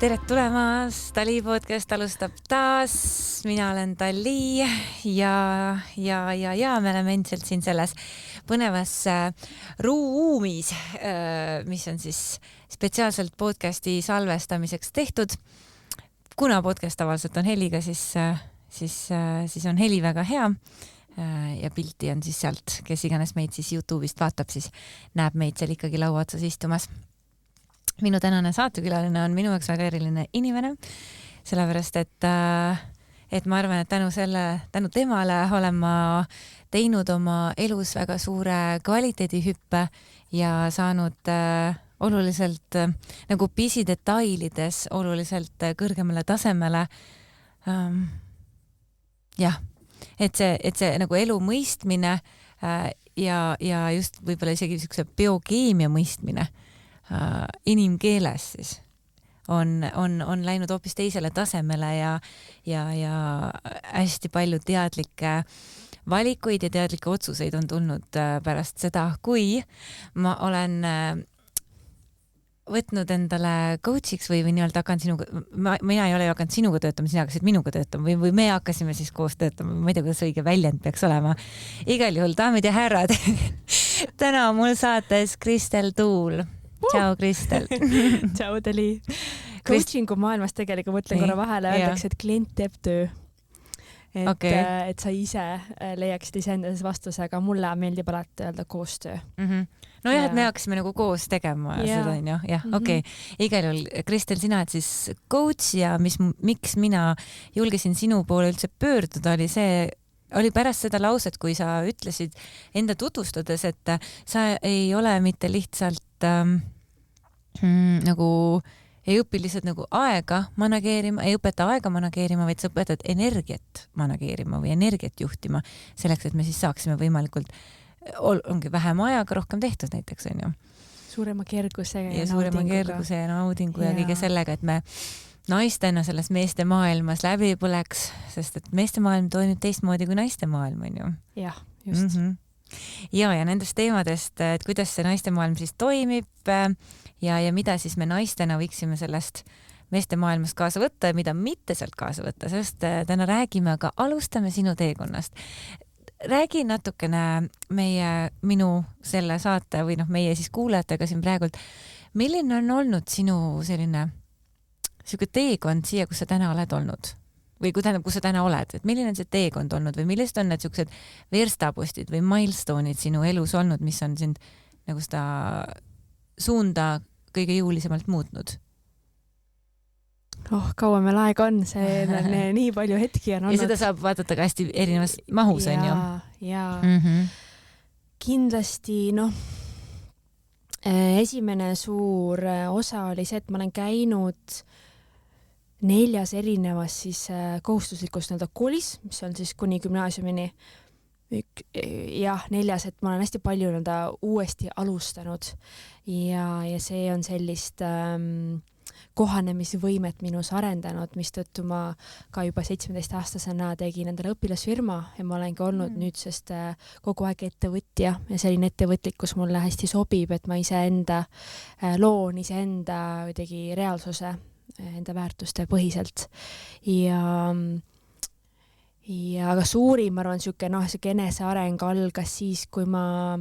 Tere tulemast, Tali podcast alustab taas, mina olen Tali ja me oleme endiselt siin selles põnevas ruumis, mis on siis spetsiaalselt podcasti salvestamiseks tehtud. Kuna podcast tavaliselt on heliga, siis on heli väga hea ja pilti on siis sealt, kes iganes meid siis YouTube'ist vaatab, siis näeb meid seal ikkagi laua otsas istumas. Minu tänane saatekülaline on minu jaoks väga eriline inimene, sellepärast et ma arvan, et tänu temale olen ma teinud oma elus väga suure kvaliteedihüppe ja saanud oluliselt nagu pisidetailides oluliselt kõrgemale tasemele. Jah, et see nagu elu mõistmine ja just võib-olla isegi niisuguse biokeemia mõistmine inimkeeles siis on läinud hoopis teisele tasemele ja hästi palju teadlikke valikuid ja teadlikke otsuseid on tulnud pärast seda, kui ma olen võtnud endale coach'iks või nii-öelda hakkan sinuga, mina ei ole ju hakanud sinuga töötama, sina hakkasid minuga töötama või me hakkasime siis koos töötama, ma ei tea, kuidas õige väljend peaks olema. Igal juhul, daamid ja härrad, täna on mul saates Kristel Tuul. Tšau, Kristel. Tšau, Tali. Coachingu maailmas tegelikult mõtlen korra vahele, öeldakse, et klient teeb töö. Et sa ise leiaksid iseendas vastuse, aga mulle meeldib alati öelda koostöö. No jah, et me hakkasime nagu koos tegema seda on ju. Jah, okei. Igal juhul, Kristel, sina oled siis coach ja miks mina julgesin sinu poole üldse pöörduda, oli pärast seda lauset, kui sa ütlesid enda tutvustades, et sa ei ole mitte lihtsalt nagu ei õpi lihtsalt nagu aega manageerima, ei õpeta aega manageerima, vaid sa õpetad energiat manageerima või energiat juhtima selleks, et me siis saaksime võimalikult, ongi vähem ajaga rohkem tehtud näiteks, on ju. Suurema kerguse ja naudingu ja kõige sellega, et me naistena selles meeste maailmas läbi põleks, sest et meeste maailm toimib teistmoodi kui naiste maailm, on ju. Jah, just. Ja nendest teemadest, et kuidas see naiste maailm siis toimib ja mida siis me naistena võiksime sellest meeste maailmast kaasa võtta ja mida mitte sealt kaasa võtta, sest täna räägime, aga alustame sinu teekonnast. Räägi natukene minu selle saate või meie siis kuulajatega siin praegult, milline on olnud sinu selline teekond siia, kus sa täna oled olnud? Või kus sa täna oled, et milline on see teekond olnud või millised on need sellised verstapostid või milestone'id sinu elus olnud, mis on sind nagu seda suunda kõige jõulisemalt muutnud? Kaua meil aega on, see on nii palju hetki on olnud. Ja seda saab vaadata ka hästi erinevas mahus, on ju? Jaa. Kindlasti, esimene suur osa oli see, et ma olen käinud 4 erinevas siis kohustuslikus koolis, mis on siis kuni gümnaasiumini. 4, et ma olen hästi palju uuesti alustanud ja see on sellist kohanemisvõimet minus arendanud, mistõttu ma ka juba 17-aastasena tegin endale õpilasfirma ja ma olengi olnud nüüdsest kogu aeg ettevõtja ja selline ettevõtlikkus mulle hästi sobib, et ma loon iseenda kuidagi reaalsuse enda väärtuste põhiselt ja aga suurim, ma arvan, siuke eneseareng algas siis, kui ma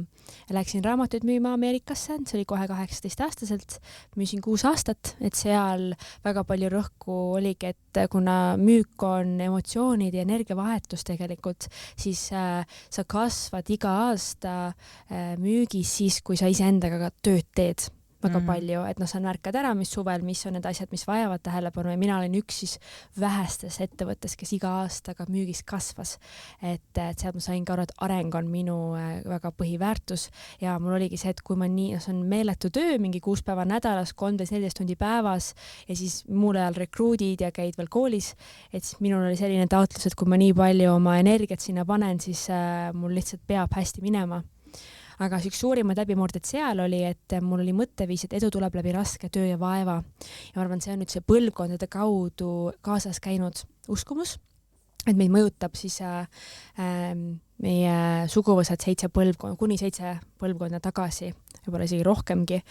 läksin raamatuid müüma Ameerikasse, see oli kohe 18-aastaselt, müüsin 6 aastat, et seal väga palju rõhku oligi, et kuna müük on emotsioonid ja energiavahetus tegelikult, siis sa kasvad iga aasta müügis siis, kui sa iseendaga ka tööd teed väga palju, et sa märkad ära, mis suvel, mis on need asjad, mis vajavad tähelepanu ja mina olen üks siis vähestes ettevõttes, kes iga aastaga müügis kasvas. Et sealt ma sain ka aru, et areng on minu väga põhiväärtus ja mul oligi see, et kui ma see on meeletu töö, mingi 6 päeva nädalas, 13-14 tundi päevas ja siis muul ajal rekruudid ja käid veel koolis, et siis minul oli selline taotlus, et kui ma nii palju oma energiat sinna panen, siis mul lihtsalt peab hästi minema. Aga üks suurimad läbimurded seal oli, et mul oli mõtteviis, et edu tuleb läbi raske töö ja vaeva. Ja ma arvan, see on nüüd see põlvkondade kaudu kaasas käinud uskumus, et meid mõjutab siis meie suguvõsad kuni 7 põlvkonda tagasi võib-olla isegi rohkemgi.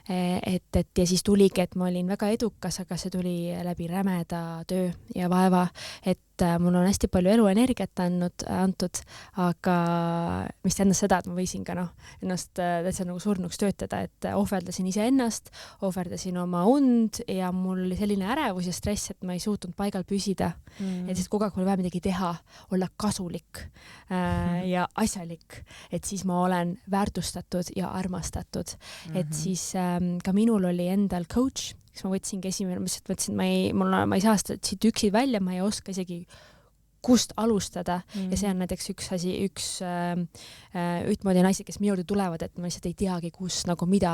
Et ja siis tuligi, et ma olin väga edukas, aga see tuli läbi rämeda töö ja vaeva, et mul on hästi palju eluenergiat antud, aga mis tähendas seda, et ma võisin ka ennast täitsa nagu surnuks töötada, et ohverdasin iseennast, ohverdasin oma und ja mul oli selline ärevus ja stress, et ma ei suutnud paigal püsida. Et siis kogu aeg oli vaja midagi teha, olla kasulik ja asjalik, et siis ma olen väärtustatud ja armastatud. Et siis ka minul oli endal coach, kes ma võtsingi esimene, ma mõtlesin, ma ei saa siit üksi välja, ma ei oska isegi kust alustada ja see on näiteks üks asi, ühtmoodi naised, kes minu juurde tulevad, et ma lihtsalt ei teagi, kus nagu mida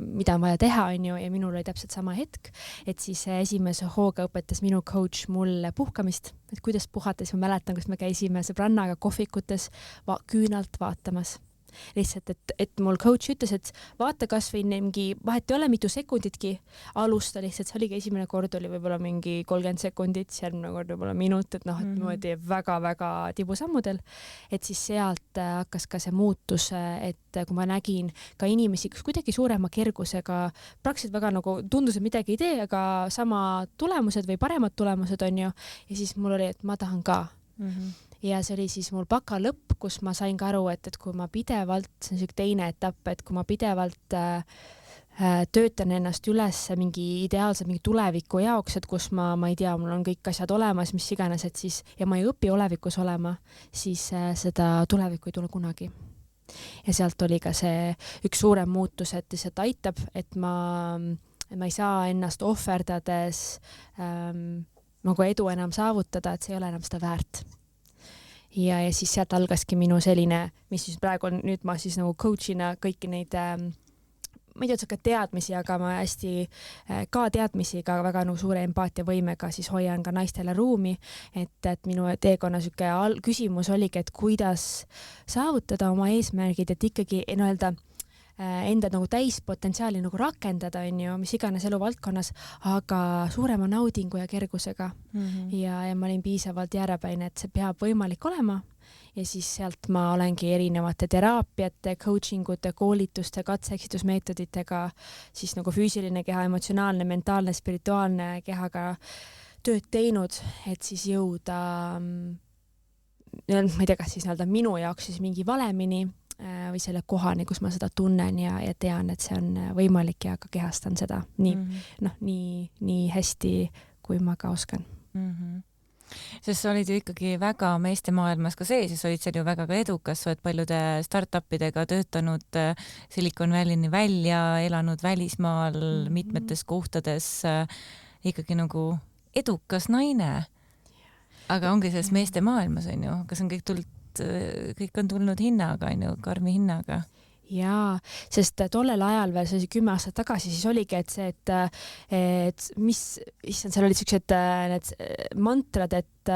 on vaja teha, onju, ja minul oli täpselt sama hetk, et siis esimese hooga õpetas minu coach mulle puhkamist, et kuidas puhata, siis ma mäletan, kus me käisime sõbrannaga kohvikutes küünalt vaatamas. Lihtsalt, et mul coach ütles, et vaata kas või mingi, vahet ei ole mitu sekunditki, alusta lihtsalt, see oligi esimene kord oli võib-olla mingi 30 sekundit, järgmine kord võib-olla minut, et et niimoodi väga-väga tibusammudel, et siis sealt hakkas ka see muutus, et kui ma nägin ka inimesi, kes kuidagi suurema kergusega, praktiliselt väga nagu tundus, et midagi ei tee, aga sama tulemused või paremad tulemused on ju, ja siis mul oli, et ma tahan ka. Ja see oli siis mul baka lõpp, kus ma sain ka aru, et kui ma pidevalt, see on selline teine etapp, et kui ma pidevalt töötan ennast üles mingi ideaalse mingi tuleviku jaoks, et kus ma ei tea, mul on kõik asjad olemas, mis iganes, et siis, ja ma ei õpi olevikus olema, siis seda tulevikku ei tule kunagi. Ja sealt oli ka see üks suurem muutus, et lihtsalt aitab, et ma ei saa ennast ohverdades nagu edu enam saavutada, et see ei ole enam seda väärt. Ja siis sealt algaski minu selline, mis siis praegu on, nüüd ma siis nagu coachina kõiki neid, ma ei tea, ka teadmisi, aga ma hästi ka teadmisi, ka väga nagu suure empaatiavõimega siis hoian ka naistele ruumi, et minu teekonna süke küsimus oligi, et kuidas saavutada oma eesmärgid, et ikkagi enda nagu täispotentsiaali nagu rakendada, on ju, mis iganes eluvaldkonnas, aga suurema naudingu ja kergusega. Ja ma olin piisavalt järjepäine, et see peab võimalik olema. Ja siis sealt ma olengi erinevate teraapiate, coachingute, koolituste, katse-eksitusmeetoditega, siis nagu füüsiline keha, emotsionaalne, mentaalne, spirituaalne kehaga tööd teinud, et siis jõuda, ma ei tea, kas siis minu jaoks siis mingi valemini, või selle kohani, kus ma seda tunnen ja tean, et see on võimalik ja ka kehastan seda nii hästi, kui ma ka oskan. Sest sa olid ju ikkagi väga meeste maailmas ka sees ja sa olid seal ju väga edukas, sa oled paljude startupidega töötanud Silicon Valley'ni välja, elanud välismaal mitmetes kohtades, ikkagi nagu edukas naine. Aga ongi selles meeste maailmas, on ju, kas on kõik on tulnud hinnaga, karmi hinnaga? Jaa, sest tollel ajal veel, see oli 10 aastat tagasi, siis oligi, et see, et mis, seal olid sellised need mantrad, et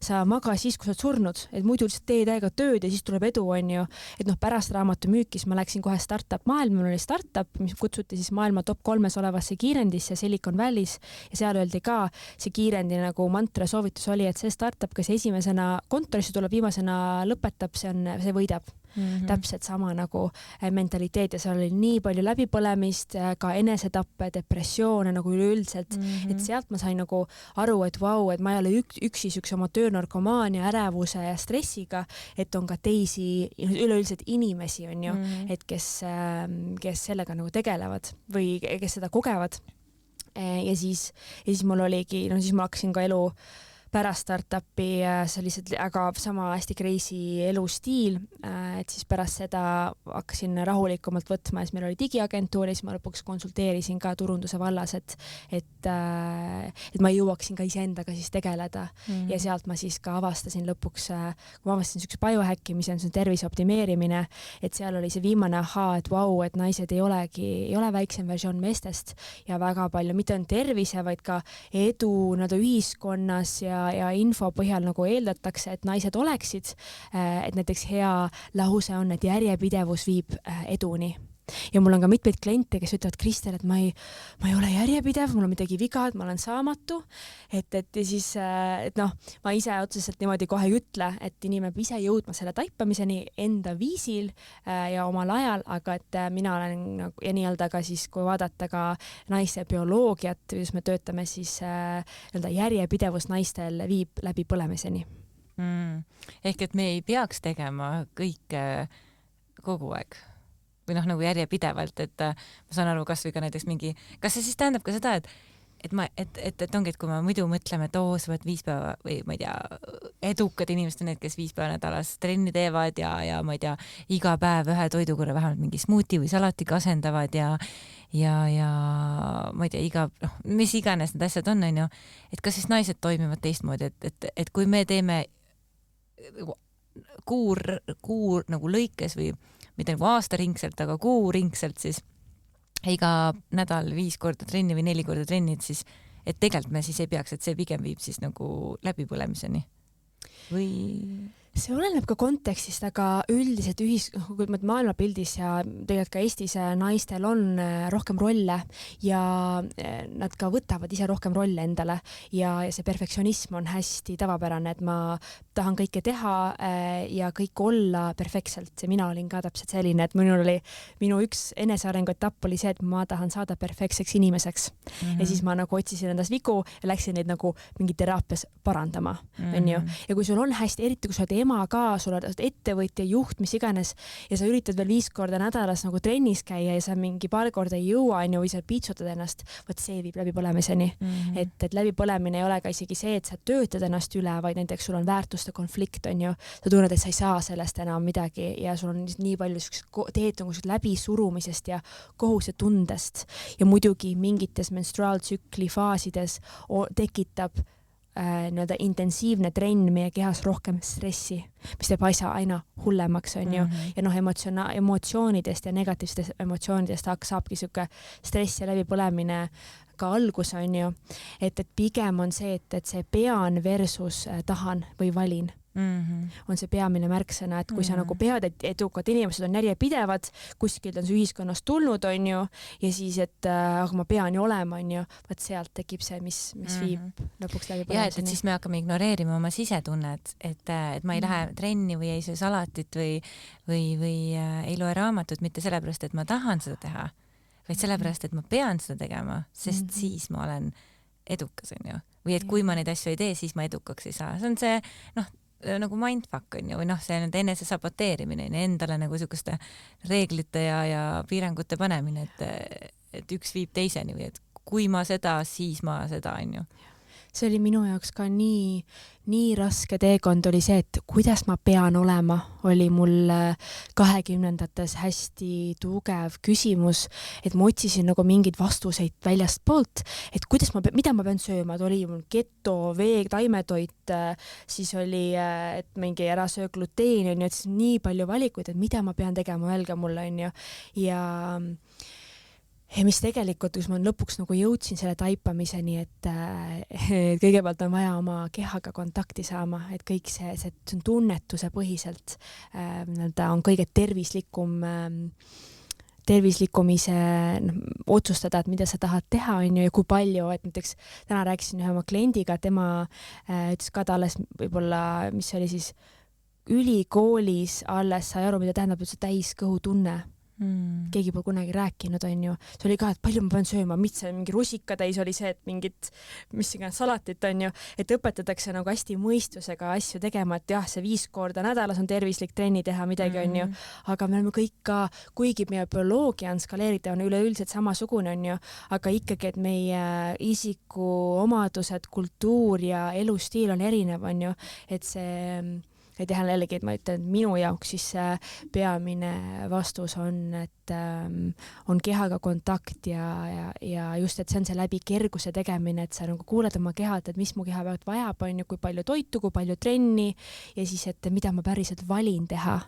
sa maga siis, kui sa oled surnud, et muidu lihtsalt tee täiega tööd ja siis tuleb edu, on ju. Et pärast raamatu müükis ma läksin kohe startup maailma, mul oli startup, mis kutsuti siis maailma top 3 olevasse kiirendisse Silicon Valley's ja seal öeldi ka, see kiirendi nagu mantra soovitus oli, et see startup, kes esimesena kontorisse tuleb, viimasena lõpetab, see võidab. Täpselt sama nagu mentaliteet ja seal oli nii palju läbipõlemist, ka enesetappe, depressioone nagu üleüldiselt, et sealt ma sain nagu aru, et vau, et ma ei ole üksi oma töönarkomaania, ärevuse ja stressiga, et on ka teisi üleüldiselt inimesi, on ju, et kes sellega nagu tegelevad või kes seda kogevad. Ja siis mul oligi, siis ma hakkasin ka elu pärast startupi sellised aga sama hästi crazy elustiil, et siis pärast seda hakkasin rahulikumalt võtma ja siis meil oli digiagentuur ja siis ma lõpuks konsulteerisin ka turunduse vallas, et ma jõuaksin ka iseendaga siis tegeleda ja sealt ma siis ka avastasin lõpuks, kui ma avastasin sükse biohackimise, see on tervise optimeerimine, et seal oli see viimane ahaa, et vau, et naised ei ole väiksem versioon meestest ja väga palju, mitte ainult tervise, vaid ka edu ühiskonnas ja info põhjal nagu eeldatakse, et naised oleksid, et näiteks hea lause on, et järjepidevus viib eduni. ja mul on ka mitmeid kliente, kes ütlevad, Kristel, et ma ei ole järjepidev, mul on midagi viga, et ma olen saamatu, et ja siis, et noh, ma ise otseselt niimoodi kohe ei ütle, et inimene peab ise jõudma selle taipamiseni enda viisil ja omal ajal, aga et mina olen ja nii-öelda ka siis, kui vaadata ka naise bioloogiat, kuidas me töötame, siis nii-öelda järjepidevus naistel viib läbi põlemiseni. Ehk et me ei peaks tegema kõike kogu aeg või noh, nagu järjepidevalt, et ma saan aru, kas või ka näiteks kas see siis tähendab ka seda, et ongi, et kui me muidu mõtleme, et sa võid 5 päeva või ma ei tea, edukad inimesed on need, kes 5 päeva nädalas trenni teevad ja ma ei tea, iga päev ühe toidu korra vähemalt mingi smuuti või salatiga asendavad ja ma ei tea, mis iganes need asjad on ju, et kas siis naised toimivad teistmoodi, et kui me teeme kuur nagu lõikes või mitte nagu aastaringselt, aga kuuringselt, siis iga nädal 5 korda trenni või 4 korda trenni, et siis, et tegelikult me siis ei peaks, et see pigem viib siis nagu läbipõlemiseni või? See oleneb ka kontekstist, aga üldiselt kui maailmapildis ja tegelikult ka Eestis naistel on rohkem rolle ja nad ka võtavad ise rohkem rolle endale ja see perfektsionism on hästi tavapärane, et ma tahan kõike teha ja kõik olla perfektselt. Mina olin ka täpselt selline, et minu üks enesearengu etapp oli see, et ma tahan saada perfektseks inimeseks. Ja siis ma nagu otsisin endast vigu ja läksin neid nagu mingi teraapias parandama. Ja kui sul on hästi, eriti kui sa oled ema ka, sul oled ettevõtja, juht, mis iganes ja sa üritad veel 5 korda nädalas nagu trennis käia ja sa mingi paar korda ei jõua või sa piitsutad ennast, võt see viib läbipõlemiseni. Et läbipõlemine ei ole ka isegi see, et sa töötad ennast üle, vaid näiteks sul on väärtuste konflikt, sa tunned, et sa ei saa sellest enam midagi ja sul on nii palju teed läbisurumisest ja kohusetundest ja muidugi mingites menstruaaltsükli faasides tekitab nii-öelda intensiivne trenn meie kehas rohkem stressi, mis teeb asja aina hullemaks, ja emotsioonidest ja negatiivsetest emotsioonidest saabki siuke stress ja läbipõlemine ka algus, et pigem on see, et see pean versus tahan või valin. On see peamine märksõna, et kui sa nagu pead, et edukad inimesed on järjepidevad, kuskilt on see ühiskonnast tulnud, ja siis, et aga ma pean ju olema, vaat sealt tekib see, mis viib lõpuks läbi põlemiseni. Et siis me hakkame ignoreerima oma sisetunnet, et ma ei lähe trenni või ei söö salatit või ei loe raamatut mitte sellepärast, et ma tahan seda teha, vaid sellepärast, et ma pean seda tegema, sest siis ma olen edukas, või et kui ma neid asju ei tee, siis ma edukaks ei saa. See on see, nagu mindfuck või see enese saboteerimine, endale nagu selliseste reeglite ja piirangute panemine, et üks viib teiseni või et kui ma seda, siis ma seda, See oli minu jaoks ka nii raske teekond oli see, et kuidas ma pean olema, oli mul 20-ndates hästi tugev küsimus, et ma otsisin nagu mingeid vastuseid väljast poolt, et mida ma pean sööma, et oli mul keto, veeg, taimetoit, siis oli, et mingi ära söö gluteeni, et siis nii palju valikuid, et mida ma pean tegema, öelge mulle, ja mis tegelikult, kus ma lõpuks nagu jõudsin selle taipamiseni, et kõigepealt on vaja oma kehaga kontakti saama, et kõik see on tunnetuse põhiselt, on kõige tervislikum ise otsustada, et mida sa tahad teha, ja kui palju, et näiteks täna rääkisin ühe oma kliendiga, tema ütles ka ta alles võib-olla, mis oli siis ülikoolis alles sai aru, mida tähendab üldse täiskõhutunne. Keegi pole kunagi rääkinud, see oli ka, et palju ma pean sööma, mis see mingi rusikatäis oli see, et mingit mis iganes salatit, et õpetatakse nagu hästi mõistusega asju tegema, et jah, see 5 korda nädalas on tervislik trenni teha midagi, aga me oleme kõik ka, kuigi meie bioloogia on skaleeritav, on üleüldiselt samasugune, aga ikkagi, et meie isikuomadused, kultuur ja elustiil on erinev, et see ei teha jällegi, et ma ütlen, et minu jaoks siis peamine vastus on, et on kehaga kontakt ja just, et see on see läbi kerguse tegemine, et sa nagu kuuled oma kehalt, et mis mu keha pealt vajab, kui palju toitu, kui palju trenni ja siis, et mida ma päriselt valin teha.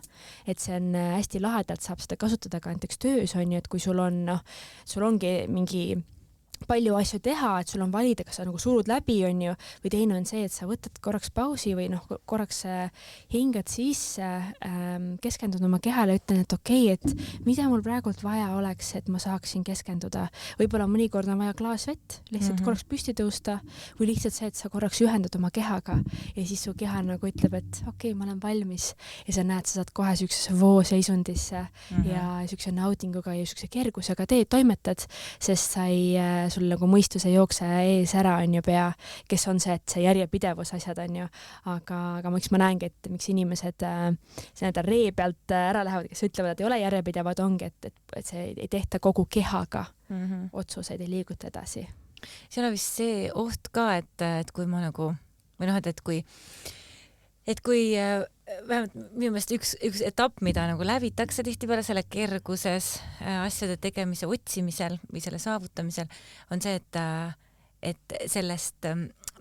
Et see on hästi lahedalt, saab seda kasutada ka näiteks töös, et kui sul ongi mingi palju asju teha, et sul on valida, kas sa nagu surud läbi, on ju, või teine on see, et sa võtad korraks pausi või noh, korraks hingad sisse, keskendud oma kehale, ütlen, et okei, et mida mul praegult vaja oleks, et ma saaksin keskenduda. Võib-olla mõnikord on vaja klaas vett, lihtsalt korraks püsti tõusta või lihtsalt see, et sa korraks ühendad oma kehaga ja siis su keha nagu ütleb, et okei, ma olen valmis ja sa näed, sa saad kohe siuksesse vooseisundisse ja siukse naudinguga ja siukse kergusega toimetad, sest sa sul nagu mõistus ei jookse ees ära, on ju, pea, kes on see, et see järjepidevus asjad, on ju, aga miks ma näengi, et miks inimesed see ree pealt ära lähevad, kes ütlevad, et ei ole järjepidevad, ongi, et see ei tehta kogu kehaga otsuseid, ei liiguta edasi. Seal on vist see oht ka, et kui ma nagu, või noh, et kui vähemalt minu meelest üks etapp, mida nagu läbitakse tihtipeale selle kerguses asjade tegemise otsimisel või selle saavutamisel, on see, et sellest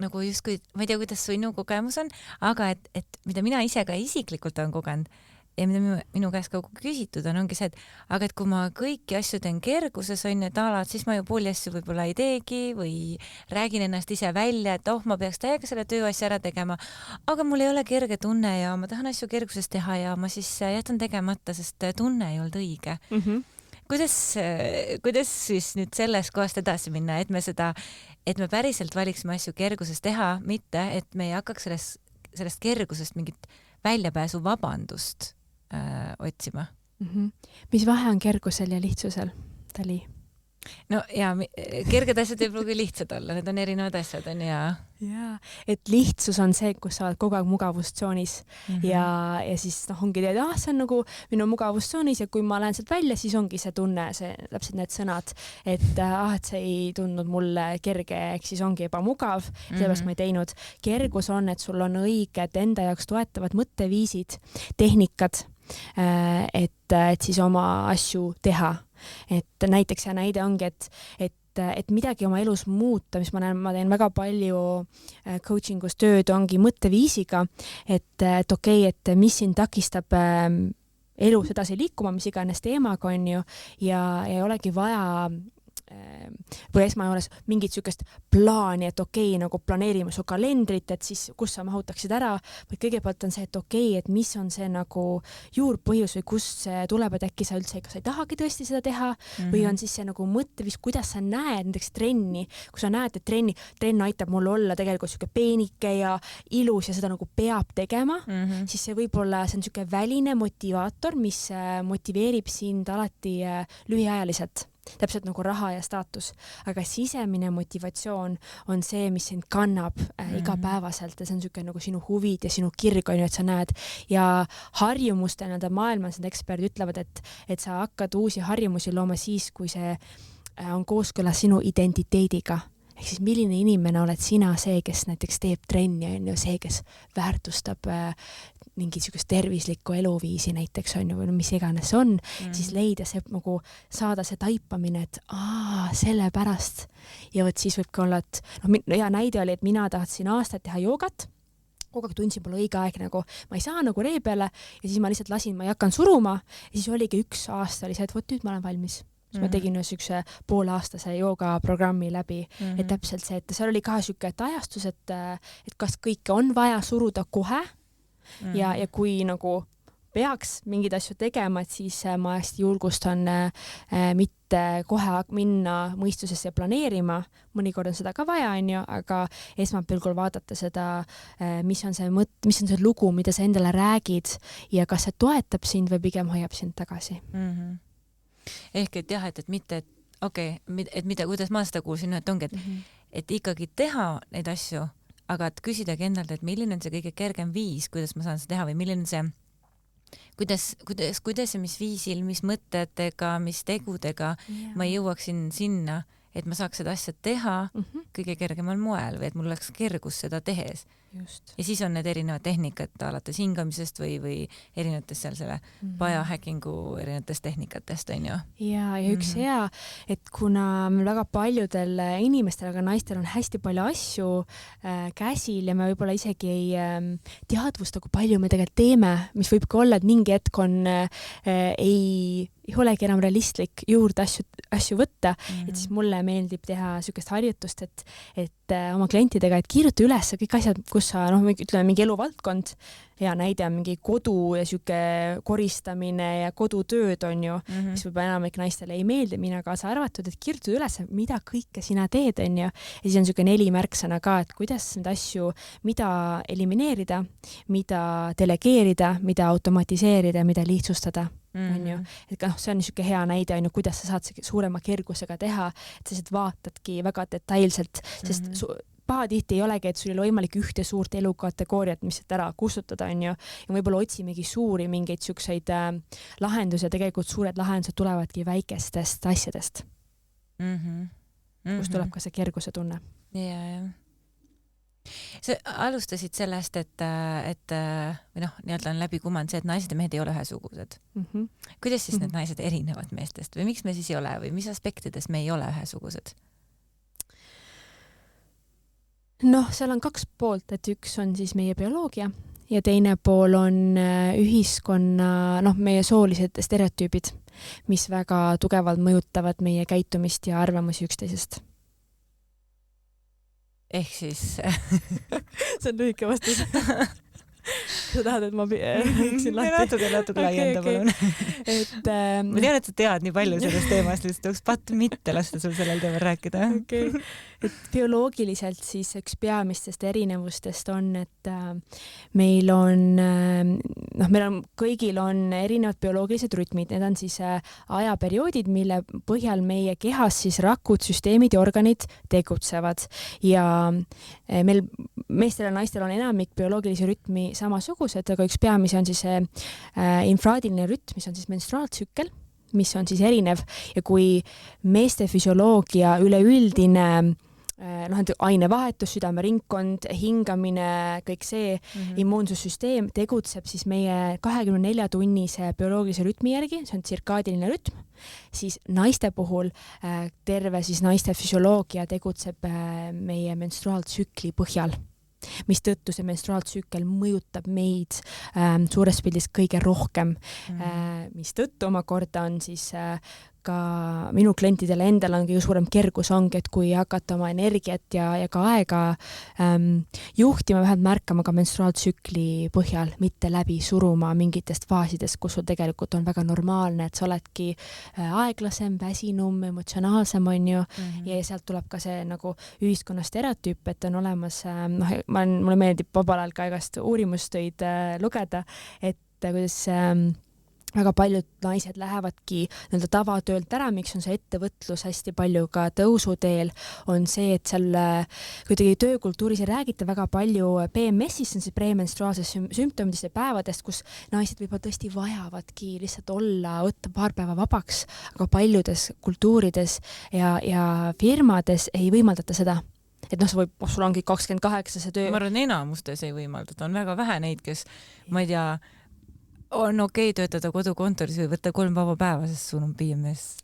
nagu justkui, ma ei tea, kuidas sinu kogemus on, aga et mida mina ise ka isiklikult olen kogenud ja mida minu käest ka küsitud ongi see, et aga et kui ma kõiki asju teen kerguses, on ju, et siis ma ju pooli asju võib-olla ei teegi või räägin ennast ise välja, et ma peaks täiega selle tööasja ära tegema, aga mul ei ole kerge tunne ja ma tahan asju kerguses teha ja ma siis jätan tegemata, sest tunne ei olnud õige. Kuidas siis nüüd sellest kohast edasi minna, et me päriselt valiksime asju kerguses teha, mitte et me ei hakkaks sellest kergusest mingit väljapääsu vabandust otsima. Mis vahe on kergusel ja lihtsusel, Tali? No ja kerged asjad ei pruugi lihtsad olla, need on erinevad asjad, on ja. Jaa, et lihtsus on see, kus sa oled kogu aeg mugavustsoonis ja siis ongi teed, see on nagu minu mugavustsoonis ja kui ma lähen sealt välja, siis ongi see tunne, see täpselt need sõnad, et see ei tundnud mulle kerge, ehk siis ongi ebamugav, sellepärast ma ei teinud. Kergus on, et sul on õiged enda jaoks toetavad mõtteviisid, tehnikad, et siis oma asju teha. Et näiteks hea näide ongi, et midagi oma elus muuta, mis ma teen väga palju coachingus tööd, ongi mõtteviisiga, et okei, et mis siin takistab elus edasi liikuma, mis iganes teemaga on ju, ja ei olegi vaja või esmajoones mingit sükest plaani, et okei, nagu planeerime su kalendrit, et siis kus sa mahutaksid ära, või kõigepealt on see, et okei, et mis on see nagu juurpõhjus või kust see tuleb, et äkki sa üldse, kas sa ei tahagi tõesti seda teha või on siis see nagu mõttevis, kuidas sa näed näiteks trenni, kui sa näed, et trenn aitab mul olla tegelikult siuke peenike ja ilus ja seda nagu peab tegema, siis see võib-olla, see on siuke väline motivaator, mis motiveerib sind alati lühiajaliselt. Täpselt nagu raha ja staatus, aga sisemine motivatsioon on see, mis sind kannab igapäevaselt ja see on siuke nagu sinu huvid ja sinu kirg on ju, et sa näed ja harjumuste maailmas need eksperdid ütlevad, et sa hakkad uusi harjumusi looma siis, kui see on kooskõlas sinu identiteediga. Ehk siis milline inimene oled sina, see, kes näiteks teeb trenni, on ju, see, kes väärtustab mingit sükest tervislikku eluviisi näiteks on ju, või mis iganes on, siis leida see nagu, saada see taipamine, et sellepärast. Ja võt siis võibki olla, et hea näide oli, et mina tahtsin aastat teha joogat, kogu aeg tundsin pole õige aeg nagu, ma ei saa nagu ree peale ja siis ma lihtsalt lasin, ma ei hakanud suruma ja siis oligi 1 aasta oli see, et nüüd ma olen valmis. Siis ma tegin ühe poolaastase joogaprogrammi läbi, et täpselt see, et seal oli ka siuke ajastus, et kas kõike on vaja suruda kohe ja kui nagu peaks mingeid asju tegema, et siis ma hästi julgustan mitte kohe minna mõistusesse planeerima, mõnikord on seda ka vaja, on ju, aga esmapilgul vaadata seda, mis on see lugu, mida sa endale räägid ja kas see toetab sind või pigem hoiab sind tagasi. Ehk et jah, et mitte, et mida, kuidas ma seda kuulsin, et ongi, et ikkagi teha neid asju, aga et küsidagi endalt, et milline on see kõige kergem viis, kuidas ma saan seda teha või milline see, kuidas ja mis viisil, mis mõtetega, mis tegudega ma jõuaksin sinna, et ma saaks seda asja teha kõige kergemal moel või et mul oleks kergus seda tehes. Just. Ja siis on need erinevad tehnikad alates hingamisest või erinevatest seal selle biohackingu erinevatest tehnikatest, on ju. Ja üks hea, et kuna väga paljudel inimestel, aga naistel on hästi palju asju käsil ja me võib-olla isegi ei teadvusta, kui palju me tegelikult teeme, mis võib ka olla, et mingi hetk on ei olegi enam realistlik juurde asju võtta, et siis mulle meeldib teha niisugust harjutust, et oma klientidega, et kirjuta üles kõik asjad, kus sa, ütleme mingi eluvaldkond, hea näide on mingi kodu ja sihuke koristamine ja kodutööd on ju, mis võib-olla enamik naistele ei meeldi, mina kaasa arvatud, et kirjuta üles, mida kõike sina teed, on ju. Ja siis on sihuke 4 märksõna ka, et kuidas neid asju, mida elimineerida, mida delegeerida, mida automatiseerida, mida lihtsustada. On ju, et see on niisugune hea näide, on ju, kuidas sa saad suurema kergusega teha, et sa vaatadki väga detailselt, sest pahatihti ei olegi, et sul ei ole võimalik ühte suurt elukategooriat, mis ära kustutada, on ju, ja võib-olla otsimegi suuri mingeid niisuguseid lahendusi ja tegelikult suured lahendused tulevadki väikestest asjadest, kus tuleb ka see kerguse tunne. Ja. Sa alustasid sellest, et või nii-öelda on läbi kumanud see, et naised ja mehed ei ole ühesugused. Kuidas siis need naised erinevad meestest või miks me siis ei ole või mis aspektides me ei ole ühesugused? Seal on 2 poolt, et üks on siis meie bioloogia ja teine pool on ühiskonna, meie soolised stereotüübid, mis väga tugevalt mõjutavad meie käitumist ja arvamusi üksteisest. Ehk siis see on lühike vastus. Sa tahad, et ma rääksin lahti? Natuke laienda, palun. Ma tean, et sa tead nii palju sellest teemast, lihtsalt oleks patt mitte lasta sul sellel teemal rääkida. Okay. Et bioloogiliselt siis üks peamistest erinevustest on, et meil on kõigil on erinevad bioloogilised rütmid, need on siis ajaperioodid, mille põhjal meie kehas siis rakud, süsteemid ja organid tegutsevad ja meil meestel ja naistel on enamik bioloogilisi rütmi samasugused, aga üks peamisi on siis infraadiline rütm, mis on siis menstruaaltsükkel, mis on siis erinev ja kui meeste füsioloogia üleüldine ainevahetus, südameringkond, hingamine, kõik see immuunsussüsteem tegutseb siis meie 24-tunnise bioloogilise rütmi järgi, see on tsirkaadiline rütm, siis naiste puhul terve siis naiste füsioloogia tegutseb meie menstruaaltsükli põhjal, mis tõttu see menstruaaltsükkel mõjutab meid suures pildis kõige rohkem, mis tõttu omakorda on siis ka minu klientidele endal on kõige suurem kergus ongi, et kui hakata oma energiat ja ka aega juhtima, vähemalt märkama ka menstruaaltsükli põhjal, mitte läbi suruma mingitest faasidest, kus sul tegelikult on väga normaalne, et sa oledki aeglasem, väsinum, emotsionaalsem, on ju, ja sealt tuleb ka see nagu ühiskonna stereotüüp, et on olemas, mulle meeldib vabal ajal ka igast uurimustöid lugeda, et kuidas väga paljud naised lähevadki nii-öelda tavatöölt ära, miks on see ettevõtlus hästi palju ka tõusuteel, on see, et seal kuidagi töökultuuris ei räägita väga palju PMS-ist, see on siis premenstruaalsest sümptomidest ja päevadest, kus naised võib-olla tõesti vajavadki lihtsalt olla, võtta paar päeva vabaks, aga paljudes kultuurides ja firmades ei võimaldata seda. Et sul ongi 28 see töö. Ma arvan, enamustes ei võimaldata, on väga vähe neid, kes, ma ei tea, on okei töötada kodukontoris või võtta 3 vaba päeva, sest sul on PMS.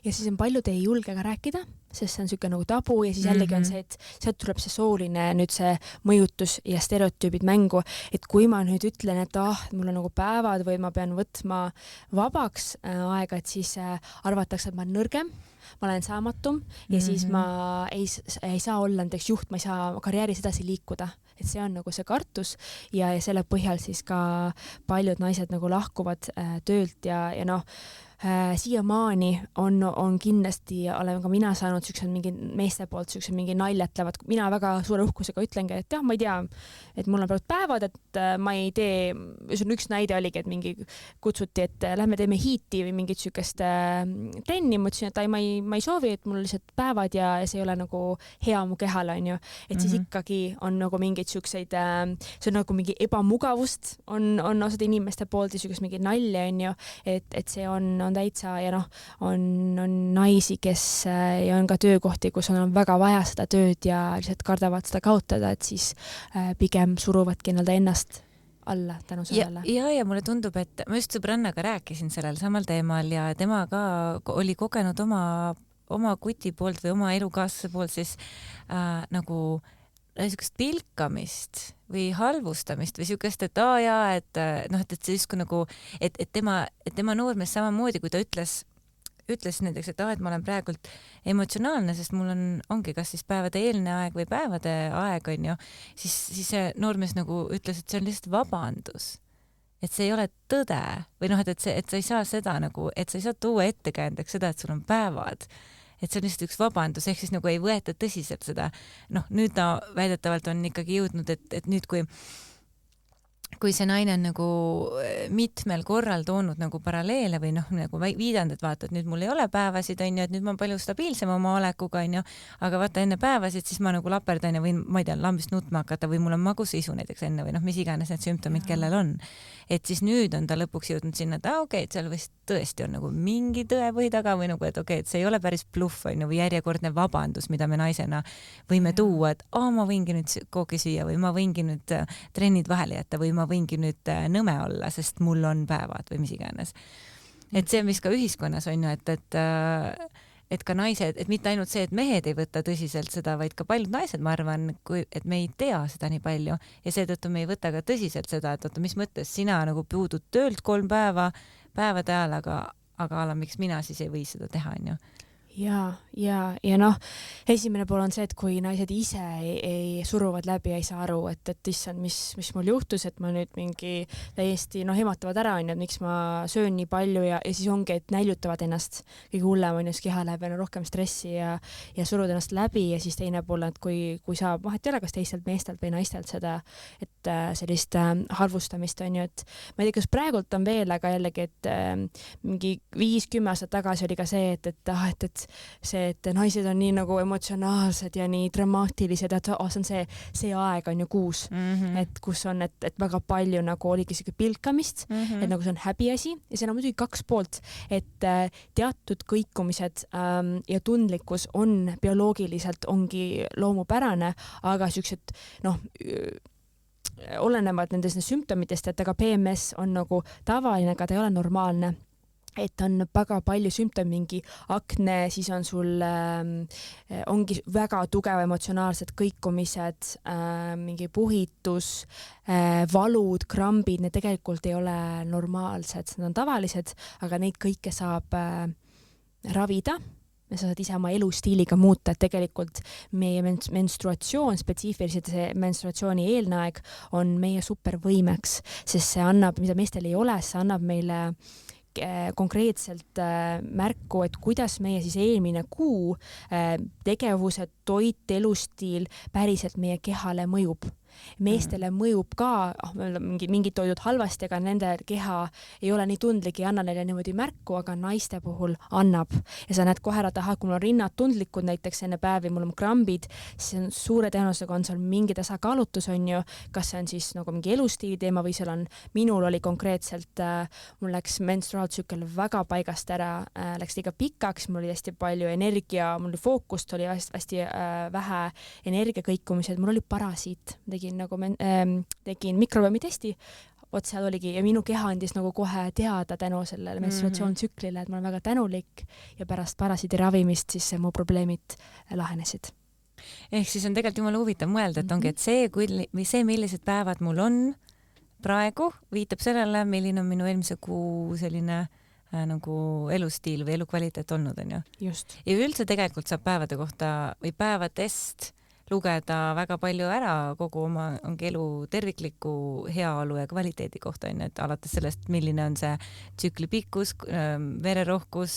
Ja siis on paljud ei julge ka rääkida, sest see on niisugune nagu tabu ja siis jällegi on see, et sealt tuleb see sooline nüüd see mõjutus ja stereotüübid mängu, et kui ma nüüd ütlen, et mul on nagu päevad või ma pean võtma vabaks aega, et siis arvatakse, et ma olen nõrgem, ma olen saamatum ja siis ma ei saa olla näiteks juht, ma ei saa karjääris edasi liikuda. Et see on nagu see kartus ja selle põhjal siis ka paljud naised nagu lahkuvad töölt ja siiamaani on kindlasti, olen ka mina saanud siuksed mingi meeste poolt siuksed mingi naljatlevad, mina väga suure uhkusega ütlengi, et jah, ma ei tea, et mul on praegu päevad, et ma ei tee, üks näide oligi, et mingi kutsuti, et lähme teeme hiiti või mingit siukest trenni, ma ütlesin, et ma ei soovi, et mul lihtsalt päevad ja see ei ole nagu hea mu kehale, on ju, et siis ikkagi on nagu mingeid siukseid, see on nagu mingi ebamugavust on osade inimeste poolt ja siukest mingi nalja, on ju, et see on on täitsa ja noh, on naisi, kes ja on ka töökohti, kus on väga vaja seda tööd ja lihtsalt kardavad seda kaotada, et siis pigem suruvadki ennast alla tänu sellele. Ja mulle tundub, et ma just sõbrannaga rääkisin sellel samal teemal ja tema ka oli kogenud oma kuti poolt või oma elukaaslase poolt siis nagu niisugust pilkamist või halvustamist või niisugust, et et see justkui nagu, et tema noormees samamoodi, kui ta ütles näiteks, et ma olen praegult emotsionaalne, sest mul ongi kas siis päevade eelne aeg või päevade aeg, on ju, siis see noormees nagu ütles, et see on lihtsalt vabandus. Et see ei ole tõde või et sa ei saa seda nagu, et sa ei saa tuua ettekäändeks seda, et sul on päevad. Et see on lihtsalt üks vabandus, ehk siis nagu ei võeta tõsiselt seda. Nüüd ta väidetavalt on ikkagi jõudnud, et nüüd kui see naine on nagu mitmel korral toonud nagu paralleele või nagu viidanud, et vaata, et nüüd mul ei ole päevasid, on ju, et nüüd ma olen palju stabiilsem oma olekuga, on ju, aga vaata enne päevasid, siis ma nagu laperdan ja võin, ma ei tea, lambist nutma hakata või mul on magusisu näiteks enne või mis iganes need sümptomid, kellel on. Et siis nüüd on ta lõpuks jõudnud sinna, et okei, et seal vist tõesti on nagu mingi tõepõhi taga või nagu, et okei, et see ei ole päris bluff, on ju, või järjekordne vabandus, mida me naisena võime tuua, et ma võingi nüüd kooki süüa või ma võingi nüüd trennid vahele jätta või ma võingi nüüd nõme olla, sest mul on päevad või mis iganes. Et see on vist ka ühiskonnas on ju, et ka naised, et mitte ainult see, et mehed ei võta tõsiselt seda, vaid ka paljud naised, ma arvan, et me ei tea seda nii palju ja seetõttu me ei võta ka tõsiselt seda, et oota, mis mõttes sina nagu puudud töölt 3 päeva päevade ajal, aga miks mina siis ei või seda teha, on ju. Ja noh, esimene pool on see, et kui naised ise ei suruvad läbi ja ei saa aru, et issand, mis mul juhtus, et ma nüüd mingi täiesti ematavad ära, on ju, et miks ma söön nii palju ja siis ongi, et näljutavad ennast. Kõige hullem on just keha läheb rohkem stressi ja surud ennast läbi ja siis teine pool, et kui saab, vahet ei ole, kas teistelt meestelt või naistelt seda, et sellist halvustamist on ju, et ma ei tea, kas praegult on veel, aga jällegi, et mingi 5-10 aastat tagasi oli ka see, et see, et naised on nii nagu emotsionaalsed ja nii dramaatilised, et see on see aeg on ju kuus, et kus on, et väga palju nagu oligi siuke pilkamist, et nagu see on häbiasi ja see on muidugi 2 poolt, et teatud kõikumised ja tundlikkus on bioloogiliselt ongi loomupärane, aga siuksed olenevad nendest sümptomitest, et aga PMS on nagu tavaline, aga ta ei ole normaalne. Et on väga palju sümptomi, mingi akne, siis on sul ongi väga tugev emotsionaalsed kõikumised, mingi puhitus, valud, krambid, need tegelikult ei ole normaalsed, need on tavalised, aga neid kõike saab ravida. Sa saad ise oma elustiiliga muuta, et tegelikult meie menstruatsioon, spetsiifiliselt see menstruatsiooni eelne aeg on meie supervõimeks, sest see annab, mida meestel ei ole, see annab meile konkreetselt märku, et kuidas meie siis eelmine kuu tegevused, toit, elustiil päriselt meie kehale mõjub. Meestele mõjub ka mingid toidud halvasti, aga nende keha ei ole nii tundlik, ei anna neile niimoodi märku, aga naiste puhul annab. Ja sa näed kohe, kui mul on rinnad tundlikud näiteks enne päevi, mul on krambid, siis on suure tõenäosusega on seal mingi tasakaalutus on ju, kas see on siis nagu mingi elustiili teema või seal on, minul oli konkreetselt, mul läks menstruaaltsükkel väga paigast ära, läks liiga pikaks, mul oli hästi palju energia, mul oli fookust, oli hästi vähe energiakõikumised, mul oli parasiit, tegin mikrobiomitesti, seal oligi ja minu keha andis nagu kohe teada tänu sellele menstruatsioontsüklile, et ma olen väga tänulik ja pärast parasiidi ravimist siis mu probleemid lahenesid. Ehk siis on tegelikult jumala huvitav mõelda, et ongi, et see, millised päevad mul on praegu, viitab sellele, milline on minu eelmise kuu selline nagu elustiil või elukvaliteet olnud, on ju. Just. Ja üldse tegelikult saab päevade kohta või päevadest lugeda väga palju ära kogu oma elu tervikliku heaolu ja kvaliteedi kohta, on, et alates sellest, milline on see tsükli pikkus, vererohkus,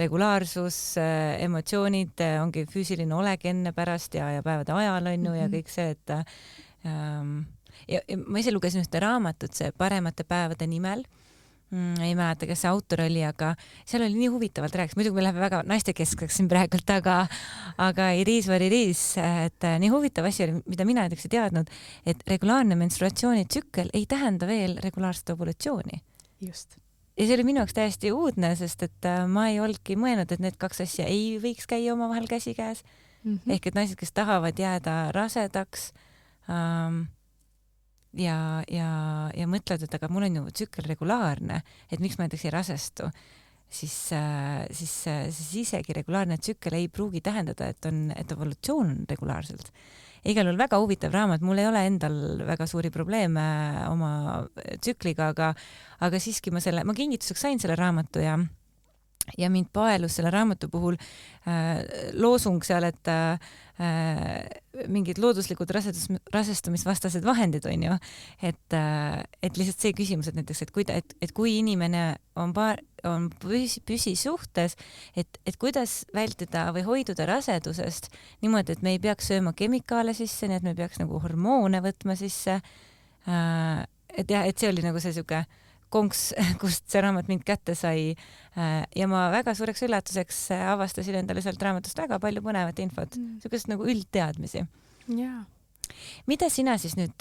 regulaarsus, emotsioonid, ongi füüsiline olek enne, pärast ja päevade ajal on ju ja kõik see, et ja ma ise lugesin ühte raamatut, see Paremate päevade nimel. Ei mäleta, kes see autor oli, aga seal oli nii huvitavalt rääkis. Muidugi me läheme väga naistekeskseks siin praegult, aga Iris var Iris, et nii huvitav asi oli, mida mina näiteks ei teadnud, et regulaarne menstruatsioonitsükkel ei tähenda veel regulaarset ovulatsiooni. Just. see oli minu jaoks täiesti uudne, sest et ma ei olnudki mõelnud, et need kaks asja ei võiks käia omavahel käsikäes. Ehk et naised, kes tahavad jääda rasedaks ja mõtlevad, et aga mul on ju tsükkel regulaarne, et miks ma näiteks ei rasestu, siis isegi regulaarne tsükkel ei pruugi tähendada, et evolutsioon on regulaarselt. Igal juhul väga huvitav raamat, mul ei ole endal väga suuri probleeme oma tsükliga, aga siiski ma kingituseks sain selle raamatu ja mind paelus selle raamatu puhul loosung seal, et mingid looduslikud rasestumisvastased vahendid on ju, et lihtsalt see küsimus, et näiteks, et kui inimene on püsisuhtes, et kuidas vältida või hoiduda rasedusest niimoodi, et me ei peaks sööma kemikaale sisse, nii et me peaks nagu hormoone võtma sisse. Et jah, et see oli nagu see siuke konks, kust see raamat mind kätte sai ja ma väga suureks üllatuseks avastasin endale sealt raamatust väga palju põnevat infot, siukest nagu üldteadmisi. Jaa. Mida sina siis nüüd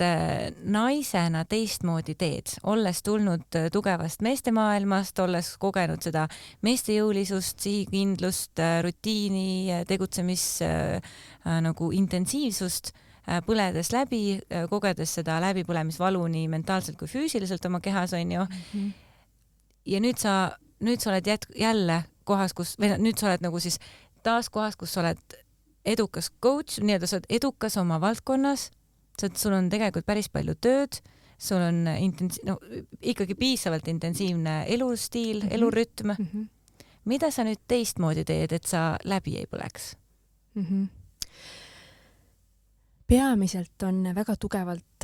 naisena teistmoodi teed, olles tulnud tugevast meestemaailmast, olles kogenud seda meestejõulisust, sihikindlust, rutiini, tegutsemis nagu intensiivsust, põledes läbi, kogedes seda läbipõlemisvalu nii mentaalselt kui füüsiliselt oma kehas on ju. Ja nüüd sa oled jälle kohas, nüüd sa oled nagu siis taas kohas, kus sa oled edukas coach, nii et sa oled edukas oma valdkonnas, sul on tegelikult päris palju tööd, sul on ikkagi piisavalt intensiivne elustiil, elurütm. Mida sa nüüd teistmoodi teed, et sa läbi ei põleks? Peamiselt on väga tugevalt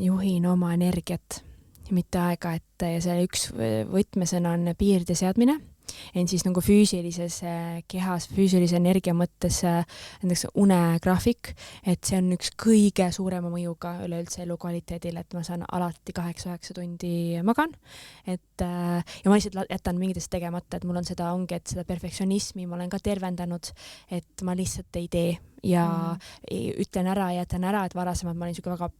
juhin oma energiat ja mitte aega, et ja see üks võtmesõna on piirde seadmine, en siis nagu füüsilises kehas, füüsilise energia mõttes näiteks unegraafik, et see on üks kõige suurema mõjuga üleüldse elukvaliteedile, et ma saan alati 8-9 tundi magan, ja ma lihtsalt jätan mingitest tegemata, et mul on seda ongi, et seda perfektsionismi ma olen ka tervendanud, et ma lihtsalt ei tee ja ütlen ära ja jätan ära, et varasemalt ma olin siuke väga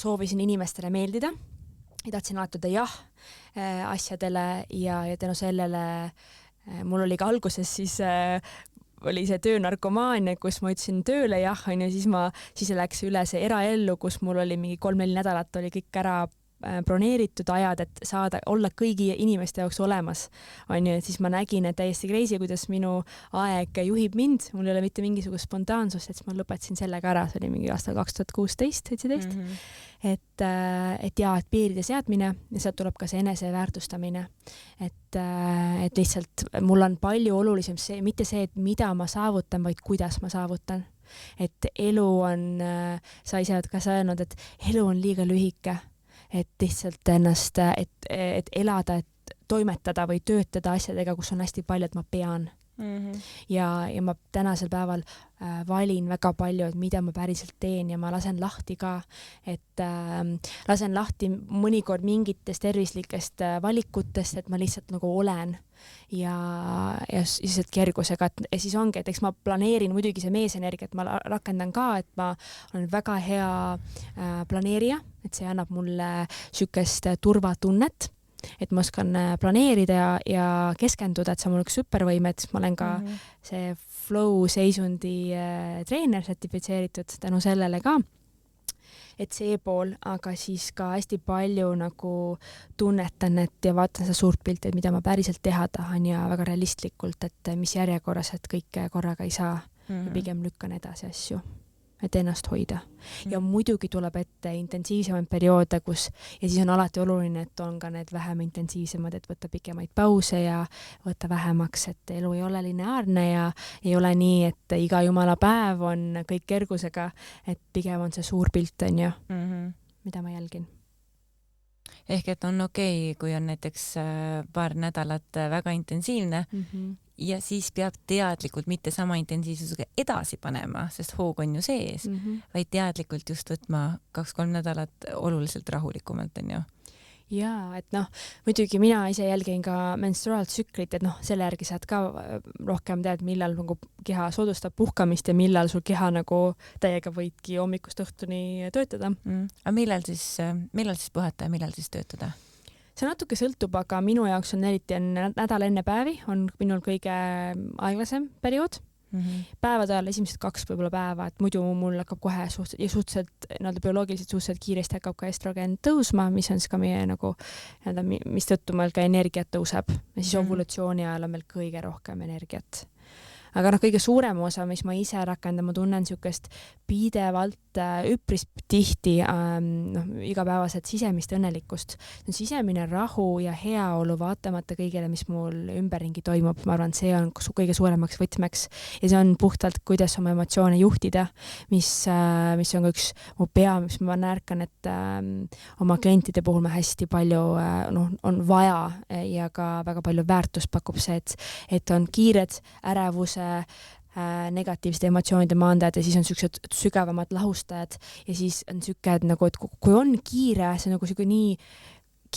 soovisin inimestele meeldida ja tahtsin alati jah asjadele ja tänu sellele mul oli ka alguses siis oli see töönarkomaania, kus ma ütlesin tööle jah, on ju, siis läks üle see eraellu, kus mul oli mingi 3-4 nädalat oli kõik ära broneeritud ajad, et saada olla kõigi inimeste jaoks olemas, on ju, et siis ma nägin, et täiesti crazy, kuidas minu aeg juhib mind, mul ei ole mitte mingisugust spontaansust, et siis ma lõpetasin sellega ära, see oli mingi aastal 2016-17, et piiride seadmine ja sealt tuleb ka see eneseväärtustamine, et lihtsalt mul on palju olulisem see, mitte see, et mida ma saavutan, vaid kuidas ma saavutan, et elu on, sa ise oled ka öelnud, et elu on liiga lühike, et lihtsalt ennast, et elada, et toimetada või töötada asjadega, kus on hästi palju, et ma pean. Ja ma tänasel päeval valin väga palju, et mida ma päriselt teen ja ma lasen lahti ka, et lasen lahti mõnikord mingitest tervislikest valikutest, et ma lihtsalt nagu olen ja lihtsalt kergusega, et siis ongi, et eks ma planeerin muidugi see meesenergia, et ma rakendan ka, et ma olen väga hea planeerija, et see annab mulle sükest turvatunnet, et ma oskan planeerida ja keskenduda, et see on mul üks supervõime, et ma olen ka see flow seisundi treener sertifitseeritud tänu sellele ka, et see pool, aga siis ka hästi palju nagu tunnetan, et ja vaatan seda suurt pilti, et mida ma päriselt teha tahan ja väga realistlikult, et mis järjekorras, et kõike korraga ei saa ja pigem lükkan edasi asju, et ennast hoida. Ja muidugi tuleb ette intensiivsemaid perioode, kus ja siis on alati oluline, et on ka need vähem intensiivsemad, et võtta pikemaid pause ja võtta vähemaks, et elu ei ole lineaarne ja ei ole nii, et iga jumala päev on kõik kergusega, et pigem on see suur pilt, on ju, mida ma jälgin. Ehk et on okei, kui on näiteks paar nädalat väga intensiivne ja siis peab teadlikult mitte sama intensiivsusega edasi panema, sest hoog on ju sees, vaid teadlikult just võtma 2-3 nädalat oluliselt rahulikumalt, on ju. Jaa, et muidugi mina ise jälgin ka menstruaaltsüklit, et selle järgi saad ka rohkem tead, millal nagu keha soodustab puhkamist ja millal sul keha nagu täiega võidki hommikust õhtuni töötada. Aga millal siis puhata ja millal siis töötada? see natuke sõltub, aga minu jaoks on eriti nädal enne päevi on minul kõige aeglasem periood. Päevade ajal esimesed 2 võib-olla päeva, et muidu mul hakkab kohe suhteliselt bioloogiliselt suhteliselt kiiresti hakkab ka estrogen tõusma, mis on siis ka meie nagu, mis tõttu meil ka energiat tõuseb ja siis ovulatsiooni ajal on meil kõige rohkem energiat. Aga kõige suurem osa, mis ma ise rakendan, ma tunnen niisugust pidevalt üpris tihti igapäevaselt sisemist õnnelikkust. See on sisemine rahu ja heaolu vaatamata kõigele, mis mul ümberringi toimub. Ma arvan, see on kõige suuremaks võtmeks ja see on puhtalt, kuidas oma emotsioone juhtida, mis on ka üks mu pea, mis ma närkan, et oma klientide puhul ma hästi palju on vaja ja ka väga palju väärtust pakub see, et on kiired ärevuse negatiivsete emotsioonide maandajad ja siis on niisugused sügavamad lahustajad ja siis on niisugune, et nagu, et kui on kiire, see on nagu niisugune nii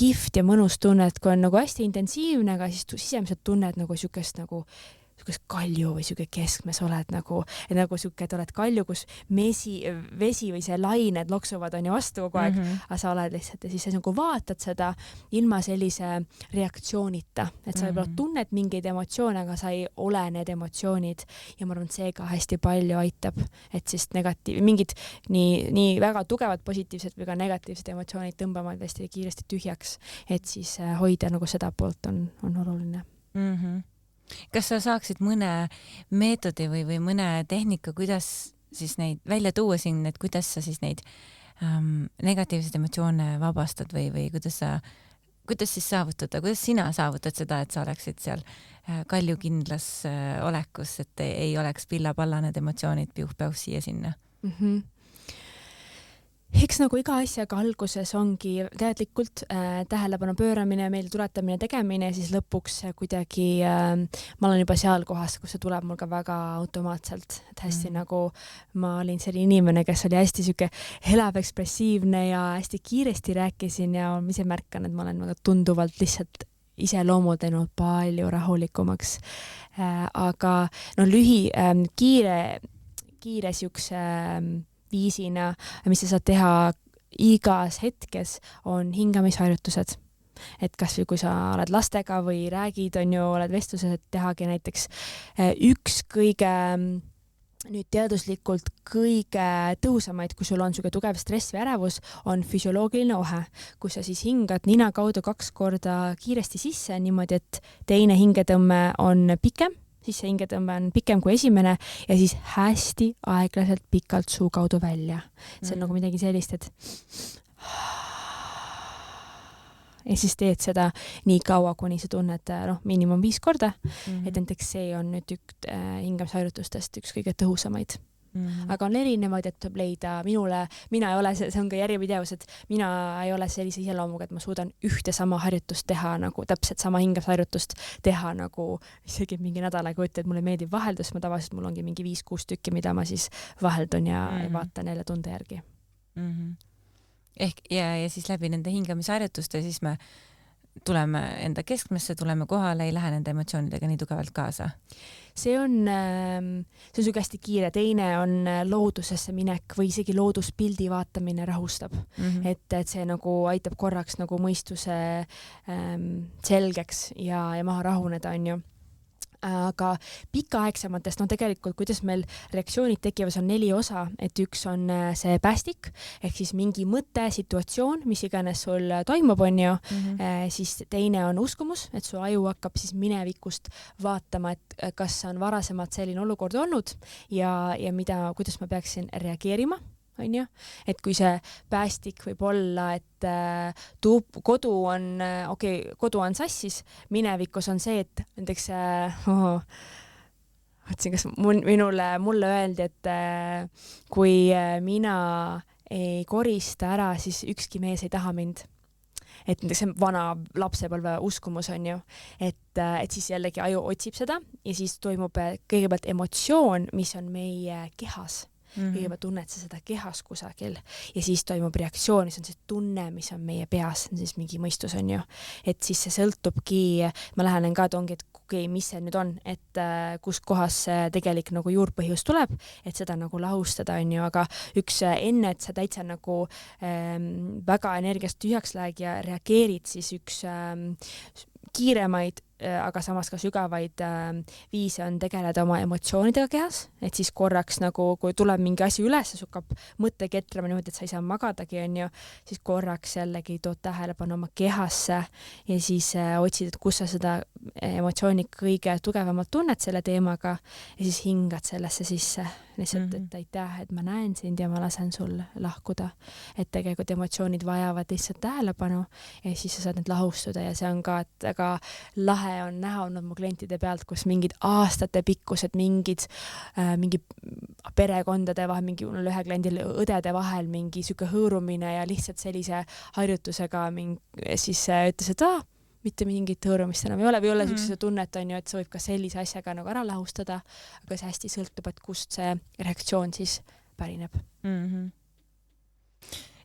kihvt ja mõnus tunne, et kui on nagu hästi intensiivne, aga siis sisemiselt tunned nagu niisugust nagu kalju või niisugune keskmes oled nagu, et nagu niisugune, et oled kalju, kus vesi või see lained loksuvad on ju vastu kogu aeg, aga sa oled lihtsalt ja siis sa nagu vaatad seda ilma sellise reaktsioonita, et sa võib-olla tunned mingeid emotsioone, aga sa ei ole need emotsioonid ja ma arvan, et see ka hästi palju aitab, et siis mingid nii väga tugevad positiivsed või ka negatiivsed emotsioonid tõmbavad hästi kiiresti tühjaks, et siis hoida nagu seda poolt on oluline. Kas sa saaksid mõne meetodi või mõne tehnika, kuidas siis neid välja tuua siin, et kuidas sa siis neid negatiivseid emotsioone vabastad või kuidas siis saavutada, kuidas sina saavutad seda, et sa oleksid seal kaljukindlas olekus, et ei oleks pilla-palla need emotsioonid piuh-päuh siia-sinna? Eks nagu iga asjaga alguses ongi teadlikult tähelepanu pööramine, meile tuletamine, tegemine ja siis lõpuks kuidagi ma olen juba seal kohas, kus see tuleb mul ka väga automaatselt, et hästi nagu ma olin selline inimene, kes oli hästi siuke elav, ekspressiivne ja hästi kiiresti rääkisin ja ma ise märkan, et ma olen väga tunduvalt lihtsalt iseloomult teinud palju rahulikumaks. Aga kiire siukse viisina, mis sa saad teha igas hetkes, on hingamisharjutused. Et kas või kui sa oled lastega või räägid, oled vestluses, et tehagi näiteks üks kõige nüüd teaduslikult kõige tõhusamaid, kui sul on niisugune tugev stress või ärevus, on füsioloogiline ohe, kus sa siis hingad nina kaudu 2 korda kiiresti sisse niimoodi, et teine hingetõmme on pikem, siis see hingetõmme on pikem kui esimene ja siis hästi aeglaselt pikalt suu kaudu välja. See on nagu midagi sellist, et ja siis teed seda nii kaua, kuni sa tunned miinimum 5 korda, et näiteks see on nüüd hingamisharjutustest üks kõige tõhusamaid. Aga on erinevaid, et tuleb leida mina ei ole, see on ka järjepidevus, et mina ei ole sellise iseloomuga, et ma suudan ühte sama harjutust teha, nagu täpselt sama hingamisharjutust teha nagu isegi mingi nädal aega võtta, et mulle meeldib vaheldus, ma tavaliselt mul ongi mingi 5-6 tükki, mida ma siis vaheldun ja vaatan jälle tunde järgi. Ehk ja siis läbi nende hingamisharjutuste siis me tuleme enda keskmesse, tuleme kohale, ei lähe nende emotsioonidega nii tugevalt kaasa. See on suge hästi kiire. Teine on loodusesse minek või isegi looduspildi vaatamine rahustab. Et see nagu aitab korraks nagu mõistuse selgeks ja maha rahuneda, on ju. Aga pikaaegsematest, tegelikult kuidas meil reaktsioonid tekivad, on 4 osa, et üks on see päästik, ehk siis mingi mõte, situatsioon, mis iganes sul toimub, on ju, siis teine on uskumus, et su aju hakkab siis minevikust vaatama, et kas on varasemalt selline olukord olnud ja kuidas ma peaksin reageerima. On ju? Et kui see päästik võib olla, et kodu on sassis, minevikus on see, et näiteks kas mulle öeldi, et kui mina ei korista ära, siis ükski mees ei taha mind. Et see vana lapsepõlve uskumus on ju, et siis jällegi aju otsib seda ja siis toimub kõigepealt emotsioon, mis on meie kehas. kõigepealt tunned sa seda kehas kusagil ja siis toimub reaktsioon, see on see tunne, mis on meie peas, see on siis mingi mõistus on ju, et siis see sõltubki, ma lähenen ka, et ongi, et okei, mis see nüüd on, et kus kohas see tegelik nagu juurpõhjus tuleb, et seda nagu lahustada on ju, aga üks enne, et sa täitsa nagu väga energiast tühjaks läheg ja reageerid, siis üks kiiremaid, aga samas ka sügavaid viise on tegeleda oma emotsioonidega kehas, et siis korraks nagu, kui tuleb mingi asi üles, see hakkab mõtte ketrama niimoodi, et sa ei saa magadagi, on ju, siis korraks jällegi tood tähelepanu oma kehasse ja siis otsid, et kus sa seda emotsiooni kõige tugevamalt tunned selle teemaga ja siis hingad sellesse sisse. Lihtsalt, et aitäh, et ma näen sind ja ma lasen sul lahkuda. Et tegelikult emotsioonid vajavad lihtsalt tähelepanu ja siis sa saad need lahustuda ja see on ka, et väga lahe on näha olnud mu klientide pealt, kus mingid aastate pikkused mingi perekondade vahel, mingi ühe kliendil õdede vahel mingi siuke hõõrumine ja lihtsalt sellise harjutusega siis ütles, et mitte mingit hõõrumist enam ei ole või ei ole siukse tunnet on ju, et sa võib ka sellise asjaga nagu ära lahustada, aga see hästi sõltub, et kust see reaktsioon siis pärineb.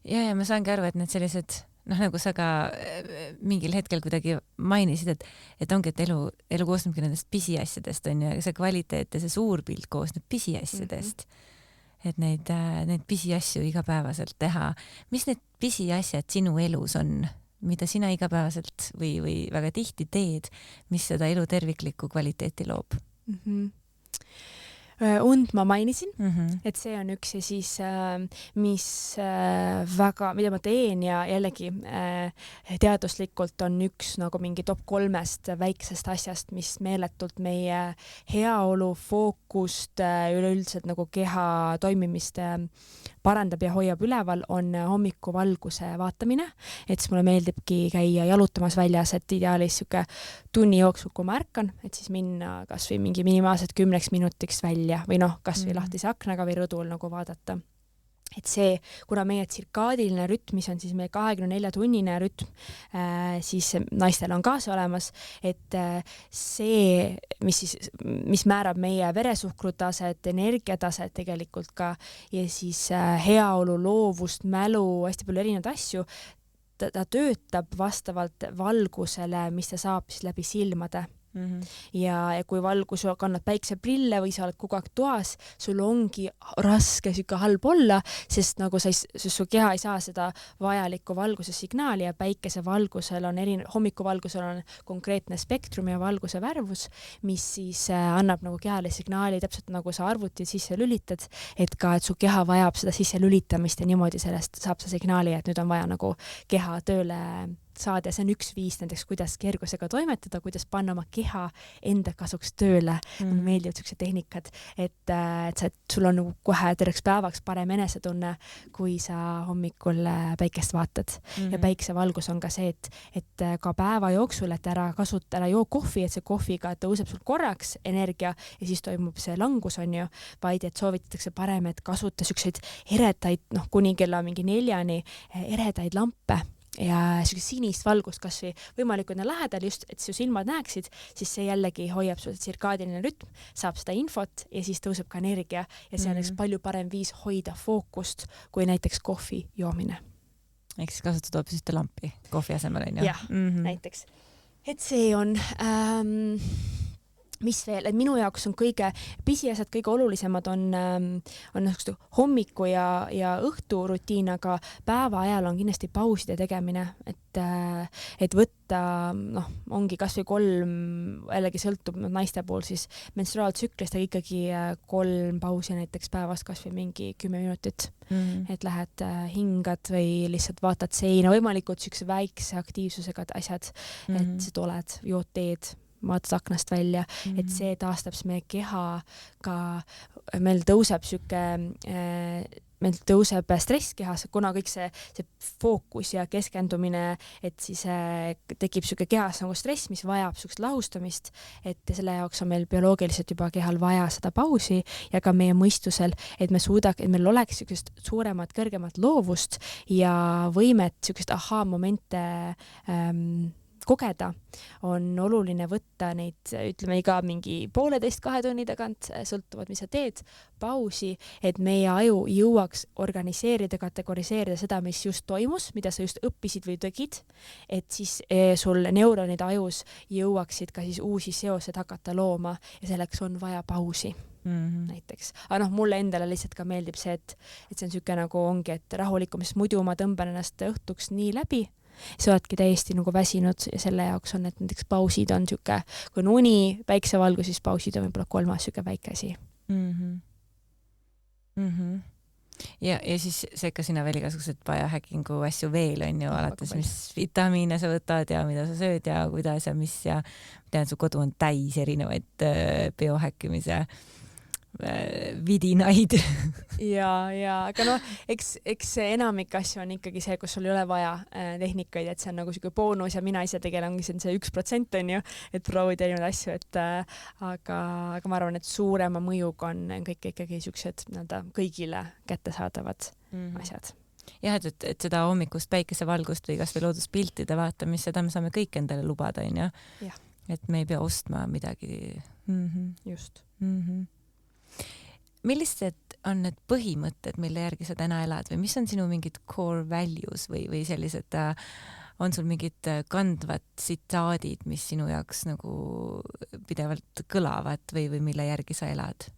Ja ma saangi aru, et need sellised nagu sa ka mingil hetkel kuidagi mainisid, et ongi, et elu koosnebki nendest pisiasjadest on ju, see kvaliteet ja see suur pilt koosneb pisiasjadest. Et neid pisiasju igapäevaselt teha. Mis need pisiasjad sinu elus on, mida sina igapäevaselt või väga tihti teed, mis seda elu terviklikku kvaliteeti loob? Und ma mainisin, et see on üks ja siis, mis mida ma teen ja jällegi teaduslikult on üks nagu mingi top 3 väiksest asjast, mis meeletult meie heaolu, fookust, üleüldiselt nagu keha toimimist parandab ja hoiab üleval, on hommikuvalguse vaatamine, et siis mulle meeldibki käia jalutamas väljas, et ideaalis siuke tunni jooksul, kui ma ärkan, et siis minna kas või mingi minimaalselt 10 minutiks välja või kasvõi lahtise aknaga või rõdul nagu vaadata. Et see, kuna meie tsirkaadiline rütm, mis on siis meie 24-tunnine rütm, siis naistel on ka see olemas, et see, mis määrab meie veresuhkrutaset, energiataset tegelikult ka ja siis heaolu, loovust, mälu, hästi palju erinevaid asju, ta töötab vastavalt valgusele, mis ta saab siis läbi silmade. Ja kui valgus kannad päikseprille või sa oled kogu aeg toas, sul ongi raske siuke halb olla, sest nagu su keha ei saa seda vajalikku valguse signaali ja päikesevalgusel on hommikuvalgusel on konkreetne spektrum ja valguse värvus, mis siis annab nagu kehale signaali, täpselt nagu sa arvuti sisse lülitad, et ka, et su keha vajab seda sisse lülitamist ja niimoodi sellest saab see signaali, et nüüd on vaja nagu keha tööle saada ja see on üks viis näiteks, kuidas kergusega toimetada, kuidas panna oma keha enda kasuks tööle. Mulle meeldivad siuksed tehnikad, et sul on kohe terveks päevaks parem enesetunne, kui sa hommikul päikest vaatad. Ja päiksevalgus on ka see, et ka päeva jooksul, et ära joo kohvi, et see kohviga tõuseb sul korraks energia ja siis toimub see langus on ju, vaid et soovitatakse parem, et kasuta siukseid eredaid, kuni kella mingi 4 eredaid lampe ja sinist valgust kasvõi võimalikult lähedal just, et su silmad näeksid, siis see jällegi hoiab su tsirkaadiline rütm, saab seda infot ja siis tõuseb ka energia ja see on üks palju parem viis hoida fookust kui näiteks kohvi joomine. Ehk siis kasutad hoopis ühte lampi kohvi asemel on ju? Jah, näiteks. Et see on... mis veel, et minu jaoks on kõige pisiasjad, kõige olulisemad on hommiku ja õhtu rutiin, aga päeva ajal on kindlasti pauside tegemine, et võtta, ongi kasvõi 3, jällegi sõltub naiste puhul siis menstruaaltsüklist, aga ikkagi 3 pausi näiteks päevas kasvõi mingi 10 minutit, et lähed hingad või lihtsalt vaatad seina, võimalikult siukse väikse aktiivsusega asjad, et sa tuled, jood teed, vaatad aknast välja, et see taastab meie keha ka, meil tõuseb stress kehas, kuna kõik see fookus ja keskendumine, et siis tekib siuke kehas nagu stress, mis vajab siukest lahustamist, et selle jaoks on meil bioloogiliselt juba kehal vaja seda pausi ja ka meie mõistusel, et meil oleks siukest suuremat, kõrgemat loovust ja võimet siukest ahaa-momente kogeda, on oluline võtta neid, ütleme iga mingi 1,5-2 tunni tagant, sõltuvad, mis sa teed, pausi, et meie aju jõuaks organiseerida, kategoriseerida seda, mis just toimus, mida sa just õppisid või tegid, et siis sul neuronid ajus jõuaksid ka siis uusi seosed hakata looma ja selleks on vaja pausi. Näiteks. Aga mulle endale lihtsalt ka meeldib see, et see on siuke nagu ongi, et rahulikum, sest muidu ma tõmban ennast õhtuks nii läbi, sa oledki täiesti nagu väsinud ja selle jaoks on, et näiteks pausid on siuke, kui on uni, päiksevalgus, siis pausid on võib-olla 3. siuke väike asi. Ja siis sekka sinna veel igasugused biohackingu asju veel on ju, alates mis vitamiine sa võtad ja mida sa sööd ja kuidas ja mis ja tean, su kodu on täis erinevaid biohackimise vidinaid. ja aga eks enamik asju on ikkagi see, kus sul ei ole vaja tehnikaid, et see on nagu siuke boonus ja mina ise tegelengi see 1% on ju, et proovida erinevaid asju, et aga ma arvan, et suurema mõjuga on kõik ikkagi siuksed kõigile kättesaadavad asjad. Jah, et seda hommikust päikesevalgust või kas või looduspiltide vaatamist, seda me saame kõik endale lubada, on ju. Et me ei pea ostma midagi. Just. Millised on need põhimõtted, mille järgi sa täna elad või mis on sinu mingid core values või sellised, on sul mingid kandvad tsitaadid, mis sinu jaoks nagu pidevalt kõlavad või mille järgi sa elad?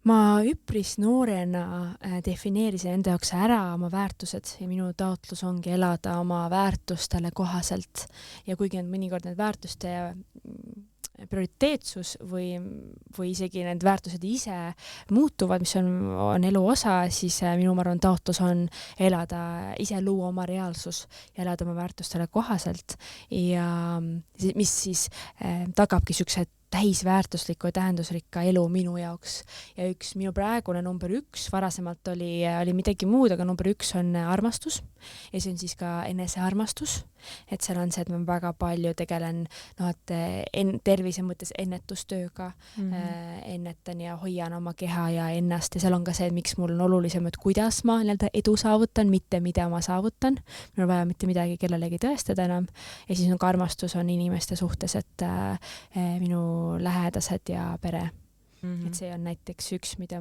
Ma üpris noorena defineerisin enda jaoks ära oma väärtused ja minu taotlus ongi elada oma väärtustele kohaselt ja kuigi on mõnikord need väärtuste prioriteetsus või isegi need väärtused ise muutuvad, mis on elu osa, siis minu arvan taotlus on elada, ise luua oma reaalsus ja elada oma väärtustele kohaselt ja mis siis tagabki siuksed täisväärtusliku ja tähendusrikka elu minu jaoks. Ja minu praegune number 1, varasemalt oli midagi muud, aga number 1 on armastus ja see on siis ka enesearmastus. Et seal on see, et ma väga palju tegelen tervise mõttes ennetustööga, ennetan ja hoian oma keha ja ennast ja seal on ka see, miks mul on olulisem, et kuidas ma edu saavutan, mitte mida ma saavutan. Mul on vaja mitte midagi kellelegi tõestada enam. Ja siis on ka armastus on inimeste suhtes, et minu lähedased ja pere. Et see on näiteks üks, mida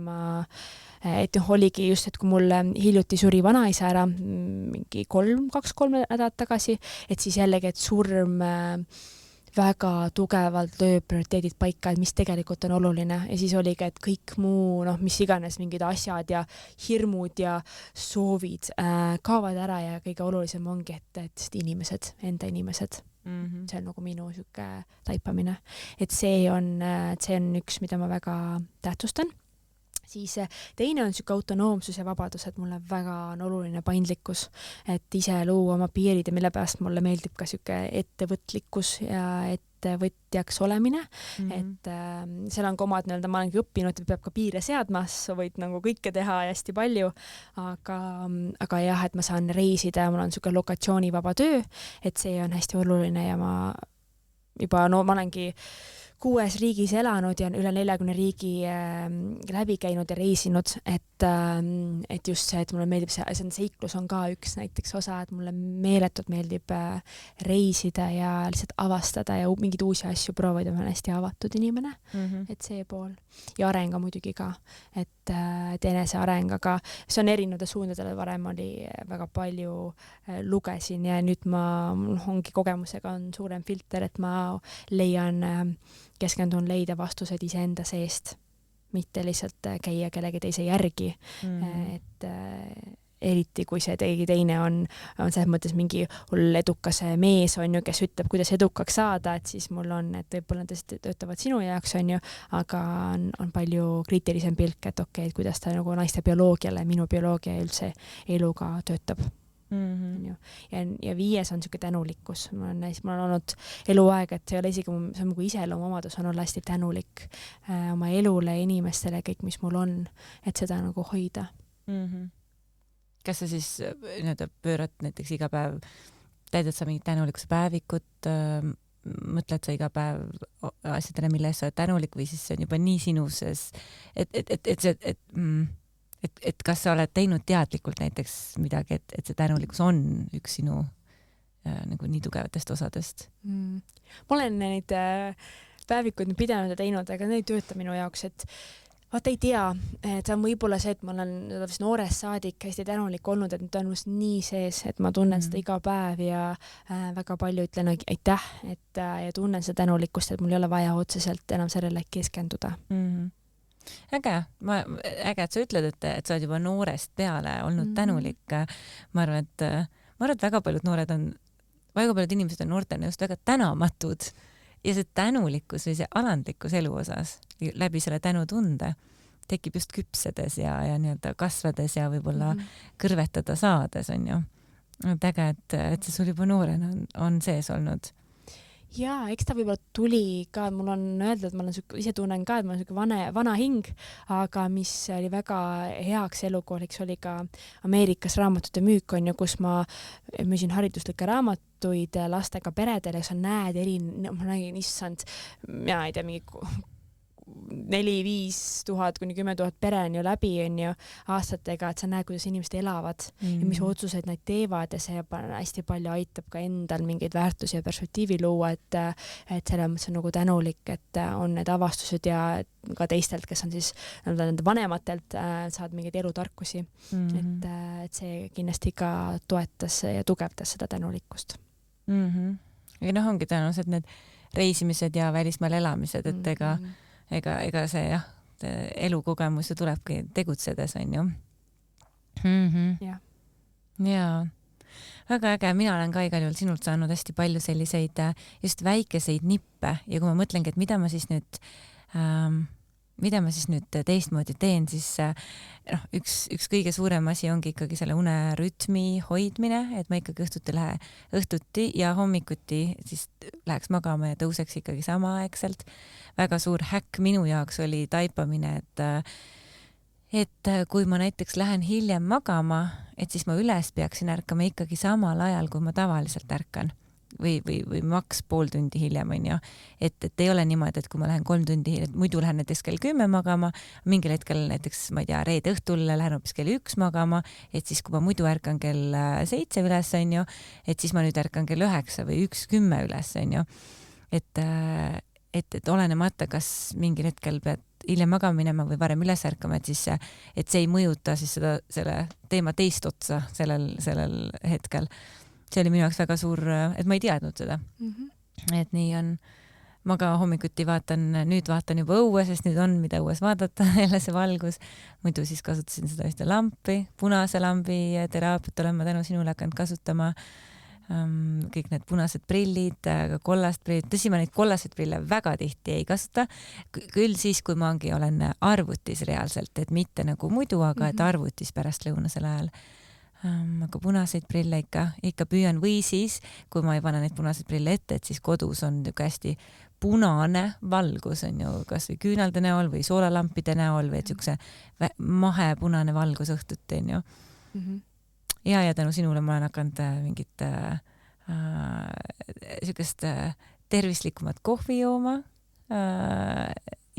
et oligi just, et kui mul hiljuti suri vanaisa ära mingi 2-3 nädalat tagasi, et siis jällegi, et surm väga tugevalt lööb prioriteedid paika, et mis tegelikult on oluline ja siis oligi, et kõik muu, mis iganes mingid asjad ja hirmud ja soovid kaovad ära ja kõige olulisem ongi, et inimesed, enda inimesed. See on nagu minu siuke taipamine, et see on üks, mida ma väga tähtsustan. Siis teine on siuke autonoomsus ja vabadus, et mulle väga on oluline paindlikkus, et ise luua oma piirid ja mille pärast mulle meeldib ka siuke ettevõtlikkus ja ettevõtjaks olemine, et seal on ka omad ma olengi õppinud, et peab ka piire seadma, sa võid nagu kõike teha ja hästi palju, aga jah, et ma saan reisida ja mul on siuke lokatsioonivaba töö, et see on hästi oluline ja ma olengi 6 riigis elanud ja üle 40 riigi läbi käinud ja reisinud, et just see, et mulle meeldib see seiklus on ka üks näiteks osa, et mulle meeletult meeldib reisida ja lihtsalt avastada ja mingeid uusi asju proovida, ma olen hästi avatud inimene, et see pool. Ja arenga muidugi ka, et eneseareng, aga see on erinevatel suundadel, varem oli väga palju lugesin ja nüüd mul ongi kogemusega on suurem filter, et ma keskendun leida vastused iseenda seest, mitte lihtsalt käia kellegi teise järgi, et eriti kui see keegi teine on selles mõttes mingi hull edukas mees on ju, kes ütleb, kuidas edukaks saada, et siis mul on, et võib-olla nad töötavad sinu jaoks on ju, aga on palju kriitilisem pilk, et okei, et kuidas ta nagu naiste bioloogiale, minu bioloogia üldse eluga töötab. Ja 5 on siuke tänulikkus. Mul on olnud eluaeg, et see ei ole isegi, see on nagu iseloomuomadus on olla hästi tänulik oma elule, inimestele, kõik, mis mul on, et seda nagu hoida. Kas sa siis pöörad näiteks iga päev, täidad sa mingit tänulikkuse päevikut, mõtled sa iga päev asjadele, mille eest sa oled tänulik või siis see on juba nii sinuses, et kas sa oled teinud teadlikult näiteks midagi, et see tänulikkus on üks sinu nagu nii tugevatest osadest. Ma olen neid päevikuid pidanud ja teinud, aga need ei tööta minu jaoks, et vaata ei tea, et see on võib-olla see, et ma olen noorest saadik hästi tänulik olnud, et nüüd on must nii sees, et ma tunnen seda iga päev ja väga palju ütlen aitäh, et ja tunnen seda tänulikkust, et mul ei ole vaja otseselt enam sellele keskenduda. Äge, et sa ütled, et sa oled juba noorest peale olnud tänulik. Ma arvan, et väga paljud inimesed on noortena just väga tänamatud ja see tänulikkus või see alandlikkus elu osas läbi selle tänutunde tekib just küpsedes ja nii-öelda kasvades ja võib-olla kõrvetada saades, on ju. Äge, et see sul juba noorena on sees olnud. Jaa, eks ta võib-olla tuli ka, mul on öeldud, et ma olen ise tunnen ka, et ma olen vana hing, aga mis oli väga heaks elukooliks, oli ka Ameerikas raamatute müük, on ju, kus ma müüsin hariduslikke raamatuid lastega peredele, ja sa näed ma nägin, issand, mina ei tea, mingi 4-5 tuhat kuni 10 000 pere on ju läbi, on ju, aastatega, et sa näed, kuidas inimesed elavad ja mis otsuseid nad teevad ja see hästi palju aitab ka endal mingeid väärtusi ja perspektiivi luua, et selles mõttes on nagu tänulik, et on need avastused ja ka teistelt, kes on siis nende vanematelt, saad mingeid elutarkusi. Et see kindlasti ka toetas ja tugevdas seda tänulikkust. Ja ongi tõenäoliselt need reisimised ja välismaal elamised, et ega see elukogemus ju tulebki tegutsedes, on ju. Jaa. Väga äge, mina olen ka igal juhul sinult saanud hästi palju selliseid just väikeseid nippe ja kui ma mõtlengi, et mida ma siis nüüd teistmoodi teen, siis üks kõige suurem asi ongi ikkagi selle unerütmi hoidmine, et ma ikkagi õhtuti ja hommikuti siis läheks magama ja tõuseks ikkagi samaaegselt. Väga suur häkk minu jaoks oli taipamine, et kui ma näiteks lähen hiljem magama, et siis ma üles peaksin ärkama ikkagi samal ajal, kui ma tavaliselt ärkan. Või maks pool tundi hiljem, on ju. Et ei ole niimoodi, et kui ma lähen 3 tundi hiljem, muidu lähen näiteks kell 10 magama, mingil hetkel näiteks, ma ei tea, reede õhtul lähen hoopis kell 1 magama, et siis kui ma muidu ärkan kell 7 üles, on ju, et siis ma nüüd ärkan kell 9 või 1:10 üles, on ju. Et olenemata, kas mingil hetkel pead hiljem magama minema või varem üles ärkama, et see ei mõjuta siis selle teema teist otsa sellel hetkel. See oli minu jaoks väga suur, et ma ei teadnud seda. Et nii on. Ma ka hommikuti nüüd vaatan juba õue, sest nüüd on, mida õues vaadata, jälle see valgus. Muidu siis kasutasin seda ühte lampi, punase lambi teraapiat olen ma tänu sinule hakanud kasutama. Kõik need punased prillid, ka kollast prillid. Tõsi, ma neid kollaseid prille väga tihti ei kasuta. Küll siis, kui ma olen arvutis reaalselt, et mitte nagu muidu, aga et arvutis pärast lõunasel ajal. Aga punaseid prille ikka püüan või siis, kui ma ei pane neid punaseid prille ette, et siis kodus on hästi punane valgus, on ju, kas või küünalde näol või soolalampide näol või et siukse mahepunane valgus õhtuti, on ju. Ja tänu sinule ma olen hakanud mingit siukest tervislikumat kohvi jooma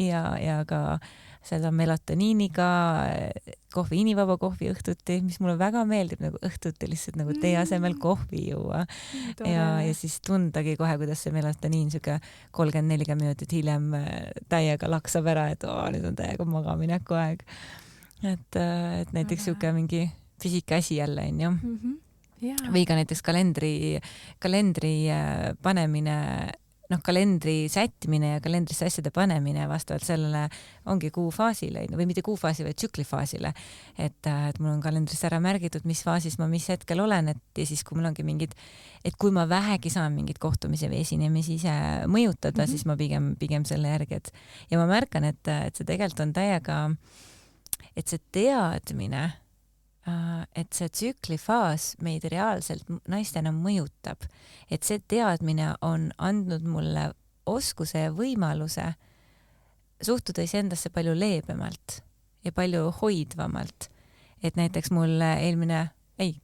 ja ka seda melatoniiniga inivaba kohvi õhtuti, mis mulle väga meeldib nagu õhtuti lihtsalt nagu tee asemel kohvi juua. Ja siis tundagi kohe, kuidas see melatoniin 30-40 minutit hiljem täiega laksab ära, et nüüd on täiega magamineku aeg. Et näiteks siuke mingi fisiikaasi jälle, on ju. Või ka näiteks kalendri panemine, kalendri sättimine ja kalendrisse asjade panemine vastavalt sellele ongi kuufaasile, või mitte kuufaasi, vaid tsüklifaasile. Et mul on kalendris ära märgitud, mis faasis ma mis hetkel olen, ja siis kui mul ongi et kui ma vähegi saan mingid kohtumisi või esinemisi ise mõjutada, siis ma pigem selle järgi, ja ma märkan, et see tegelikult on täiega, et see teadmine, et see tsüklifaas meid reaalselt naistena mõjutab, et see teadmine on andnud mulle oskuse ja võimaluse suhtuda iseendasse palju leebemalt ja palju hoidvamalt. Et näiteks mul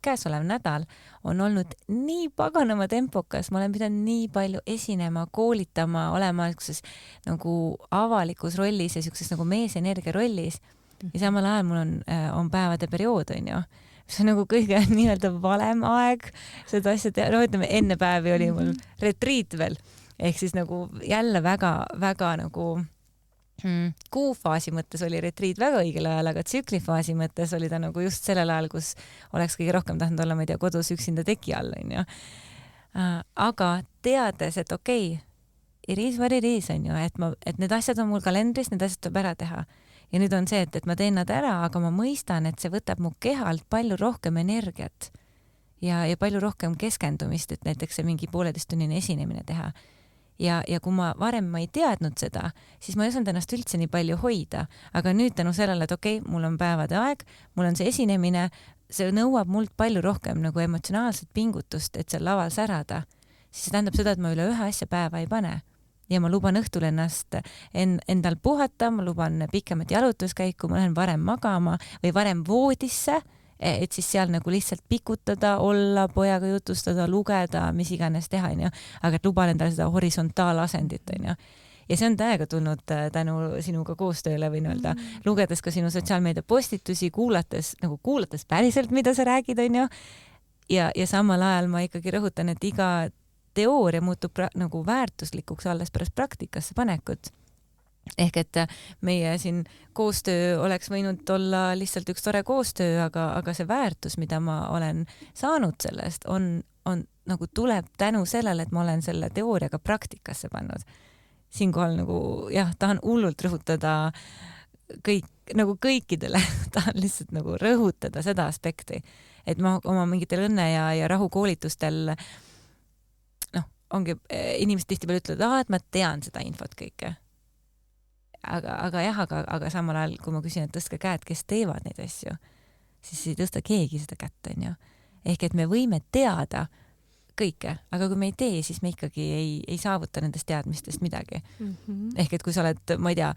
käesolev nädal on olnud nii paganama tempokas, ma olen pidanud nii palju esinema, koolitama, olema nagu avalikus rollis ja siukses nagu meesenergia rollis. Ja samal ajal mul on päevade periood, on ju, see on nagu kõige nii-öelda valem aeg seda asja teha, no ütleme enne päevi oli mul retriit veel, ehk siis nagu jälle väga nagu kuufaasi mõttes oli retriit väga õigel ajal, aga tsüklifaasi mõttes oli ta nagu just sellel ajal, kus oleks kõige rohkem tahtnud olla, ma ei tea, kodus üksinda teki all, onju. Aga teades, et okei, it is what it is, onju, et need asjad on mul kalendris, need asjad tuleb ära teha. Ja nüüd on see, et ma teen nad ära, aga ma mõistan, et see võtab mu kehalt palju rohkem energiat ja palju rohkem keskendumist, et näiteks see mingi 1,5-tunnine esinemine teha. Ja kui ma ei teadnud seda, siis ma ei osanud ennast üldse nii palju hoida, aga nüüd tänu sellele, et okei, mul on päevade aeg, mul on see esinemine, see nõuab mult palju rohkem nagu emotsionaalset pingutust, et seal laval särada, siis see tähendab seda, et ma üle ühe asja päeva ei pane. Ja ma luban õhtul ennast endal puhata, ma luban pikemat jalutuskäiku, ma lähen varem magama või varem voodisse, et siis seal nagu lihtsalt pikutada, olla, pojaga jutustada, lugeda, mis iganes teha, onju. Aga et luban endale seda horisontalasendit, onju. Ja see on täiega tulnud tänu sinuga koostööle, võin öelda, lugedes ka sinu sotsiaalmeedia postitusi, kuulates päriselt, mida sa räägid, onju. Ja samal ajal ma ikkagi rõhutan, et iga teooria muutub nagu väärtuslikuks alles pärast praktikasse panekut. Ehk et meie siin koostöö oleks võinud olla lihtsalt üks tore koostöö, aga see väärtus, mida ma olen saanud sellest, on nagu tuleb tänu sellele, et ma olen selle teooriaga praktikasse pannud. Siinkohal nagu jah, tahan hullult rõhutada kõikidele, tahan lihtsalt nagu rõhutada seda aspekti, et ma oma mingitel õnne ja rahu koolitustel ongi, inimesed tihtipeale ütlevad, et ma tean seda infot kõike. Aga samal ajal, kui ma küsin, et tõstke käed, kes teevad neid asju, siis ei tõsta keegi seda kätt, onju. Ehk et me võime teada kõike, aga kui me ei tee, siis me ikkagi ei saavuta nendest teadmistest midagi. Ehk et kui sa oled, ma ei tea,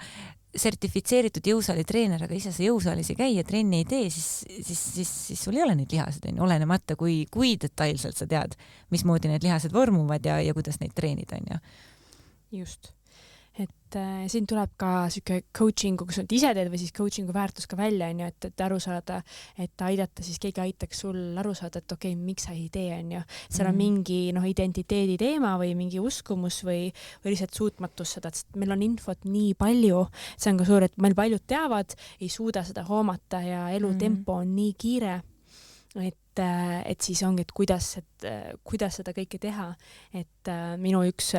sertifitseeritud jõusaali treener, aga ise sa jõusaalis ei käi ja trenni ei tee, siis sul ei ole neid lihased, olenemata kui detailselt sa tead, mismoodi need lihased vormuvad ja kuidas neid treenida, onju. Just. Et siin tuleb ka siuke coachingu, kus sa ise teed või siis coachingu väärtus ka välja, onju, et aru saada, et aidata, siis keegi aitaks sul aru saada, et okei, miks sa ei tee, onju. Seal on mingi identiteedi teema või mingi uskumus või lihtsalt suutmatus seda, et meil on infot nii palju, see on ka suur, et meil paljud teavad, ei suuda seda hoomata ja elutempo on nii kiire, et siis ongi, et kuidas seda kõike teha, et minu üks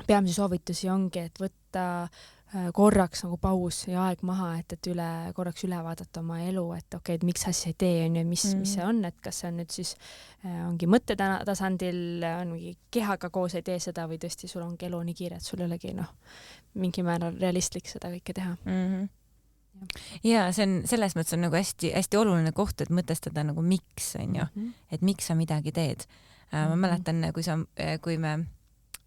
peamisi soovitusi ongi, et võtta korraks nagu paus ja aeg maha, et korraks üle vaadata oma elu, et okei, et miks asja ei tee, on ju, mis see on, et kas see on nüüd siis ongi mõttetasandil, on mingi kehaga koos ei tee seda või tõesti sul ongi elu nii kiire, et sul ei olegi mingi määral realistlik seda kõike teha. Ja see on selles mõttes on nagu hästi oluline koht, et mõtestada nagu miks, on ju, et miks sa midagi teed. Ma mäletan, kui me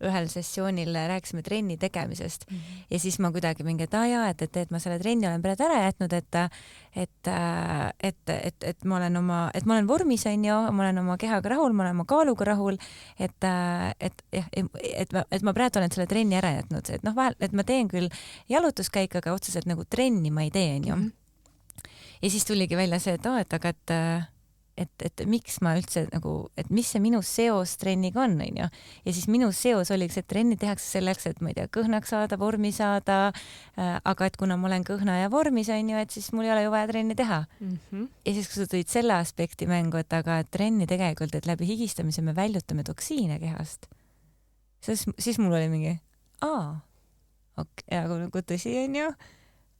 ühel sessioonil rääkisime trenni tegemisest ja siis ma kuidagi mingi, et ma selle trenni olen praegu ära jätnud, et ma olen vormis, onju, ma olen oma kehaga rahul, ma olen oma kaaluga rahul, et ma praegu olen selle trenni ära jätnud, et ma teen küll jalutuskäik, aga otseselt nagu trenni ma ei tee, onju. Ja siis tuligi välja see, et miks ma üldse nagu, et mis see minu seos trenniga on, onju. Ja siis minu seos oligi see, et trenni tehakse selleks, et ma ei tea, kõhnaks saada, vormi saada, aga et kuna ma olen kõhna ja vormis, onju, et siis mul ei ole ju vaja trenni teha. Ja siis, kui sa tõid selle aspekti mängu, et aga trenni tegelikult, et läbi higistamise me väljutame toksiine kehast, siis mul oli mingi, aga nagu tõsi, onju.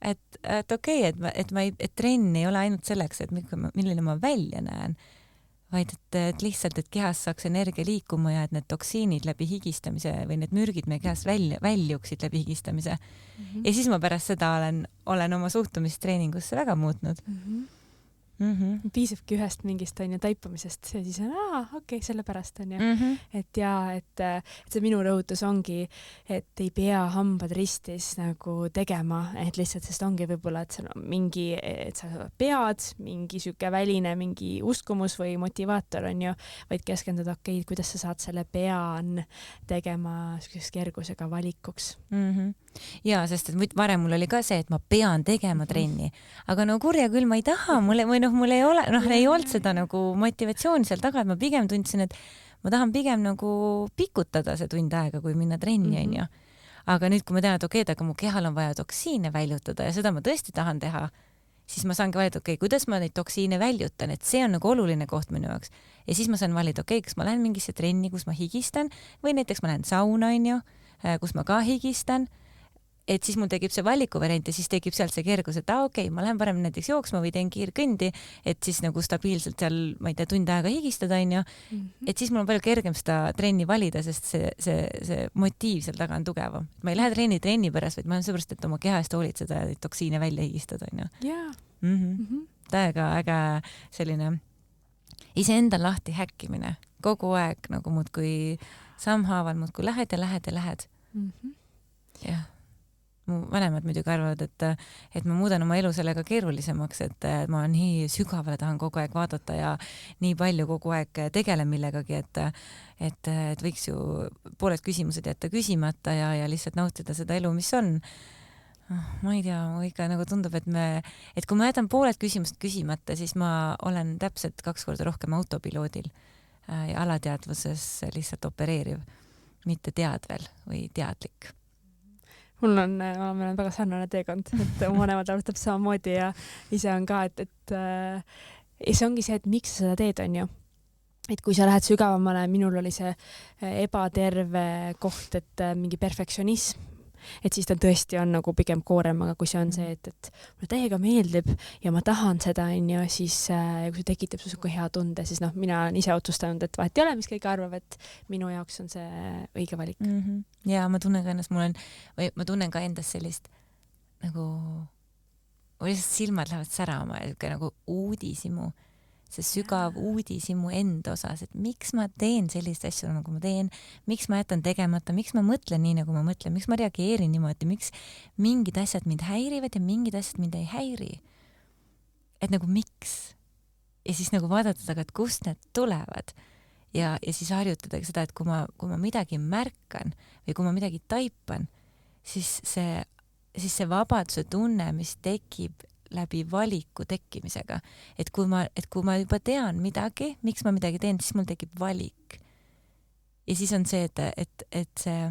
Et okei, et trenn ei ole ainult selleks, et milline ma välja näen, vaid et lihtsalt, et kehas saaks energia liikuma ja et need toksiinid läbi higistamise või need mürgid meie kehas väljuksid läbi higistamise. Ja siis ma pärast seda olen oma suhtumist treeningusse väga muutnud. Piisabki ühest mingist taipamisest ja siis on, okei, sellepärast on ju. Et see minu rõhutus ongi, et ei pea hambad ristis nagu tegema, et lihtsalt sest ongi võib-olla, et see on mingi, et sa pead mingi siuke väline, mingi uskumus või motivaator on ju, vaid keskenduda, okei, kuidas sa saad selle pean tegema selliseks kergusega valikuks. Ja, sest et varem mul oli ka see, et ma pean tegema trenni, aga no kurja küll ma ei taha, mulle, või mul ei ole, ei olnud seda nagu motivatsiooni seal taga, et ma pigem tundsin, et ma tahan pigem nagu pikutada see tund aega, kui minna trenni, onju. Aga nüüd, kui ma tean, et okei, aga mu kehal on vaja toksiine väljutada ja seda ma tõesti tahan teha, siis ma saangi valida, okei, kuidas ma neid toksiine väljutan, et see on nagu oluline koht minu jaoks. Ja siis ma saan valida, okei, kas ma lähen mingisse trenni, kus ma higistan või näiteks ma lähen sauna, onju, kus ma ka higistan. Et siis mul tekib see valikuvariant ja siis tekib sealt see kergus, et okei, ma lähen parem näiteks jooksma või teen kiirkõndi, et siis nagu stabiilselt seal, ma ei tea, tund aega higistada, onju. Et siis mul on palju kergem seda trenni valida, sest see motiiv seal taga on tugevam. Ma ei lähe trenni pärast, vaid ma olen seepärast, et oma keha eest hoolitseda ja toksiine välja higistada, onju. Täiega äge selline iseenda lahti häkkimine. Kogu aeg nagu muudkui sammhaaval muudkui lähed ja lähed ja lähed. Jah. Mu vanemad muidugi arvavad, et ma muudan oma elu sellega keerulisemaks, et ma nii sügavale tahan kogu aeg vaadata ja nii palju kogu aeg tegelen millegagi, et võiks ju pooled küsimused jätta küsimata ja lihtsalt nautida seda elu, mis on. Ma ei tea, mu ikka nagu tundub, et kui ma jätan pooled küsimused küsimata, siis ma olen täpselt 2 korda rohkem autopiloodil ja alateadvuses lihtsalt opereeriv, mitte teadvel või teadlik. Meil on väga sarnane teekond, et mu vanemad alustab samamoodi ja ise on ka, et see ongi see, et miks sa seda teed, on ju. Et kui sa lähed sügavamale, minul oli see ebaterve koht, et mingi perfektsionism, et siis ta tõesti on nagu pigem koorem, aga kui see on see, et mulle täiega meeldib ja ma tahan seda, on ju, siis kui see tekitab sulle hea tunde, siis mina olen ise otsustanud, et vahet ei ole, mis kõik arvab, et minu jaoks on see õige valik. Ja ma tunnen ka ennast, ma tunnen ka endast sellist nagu, lihtsalt silmad lähevad särama ja nagu uudisimu, see sügav uudisimu enda osas, et miks ma teen sellist asju, nagu ma teen, miks ma jätan tegemata, miks ma mõtlen nii, nagu ma mõtlen, miks ma reageerin niimoodi, miks mingid asjad mind häirivad ja mingid asjad mind ei häiri. Et nagu miks? Ja siis nagu vaadata taga, et kust need tulevad ja siis harjutada seda, et kui ma midagi märkan või kui ma midagi taipan, siis see vabaduse tunne, mis tekib läbi valiku tekkimisega. Et kui ma juba tean midagi, miks ma midagi teen, siis mul tekib valik. Ja siis on see, et see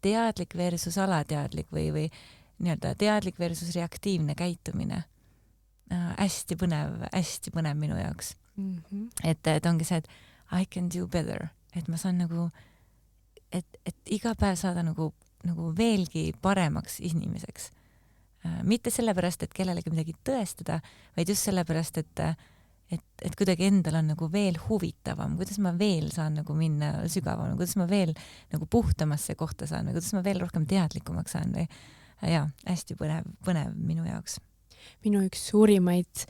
teadlik versus alateadlik või nii-öelda teadlik versus reaktiivne käitumine. Hästi põnev minu jaoks. Et ongi see, et I can do better. Et ma saan nagu, et iga päev saada nagu veelgi paremaks inimeseks. Mitte sellepärast, et kellelegi midagi tõestada, vaid just sellepärast, et kuidagi endal on nagu veel huvitavam, kuidas ma veel saan nagu minna sügavam, kuidas ma veel nagu puhtamasse kohta saan või kuidas ma veel rohkem teadlikumaks saan või hästi põnev minu jaoks. Minu üks suurimaid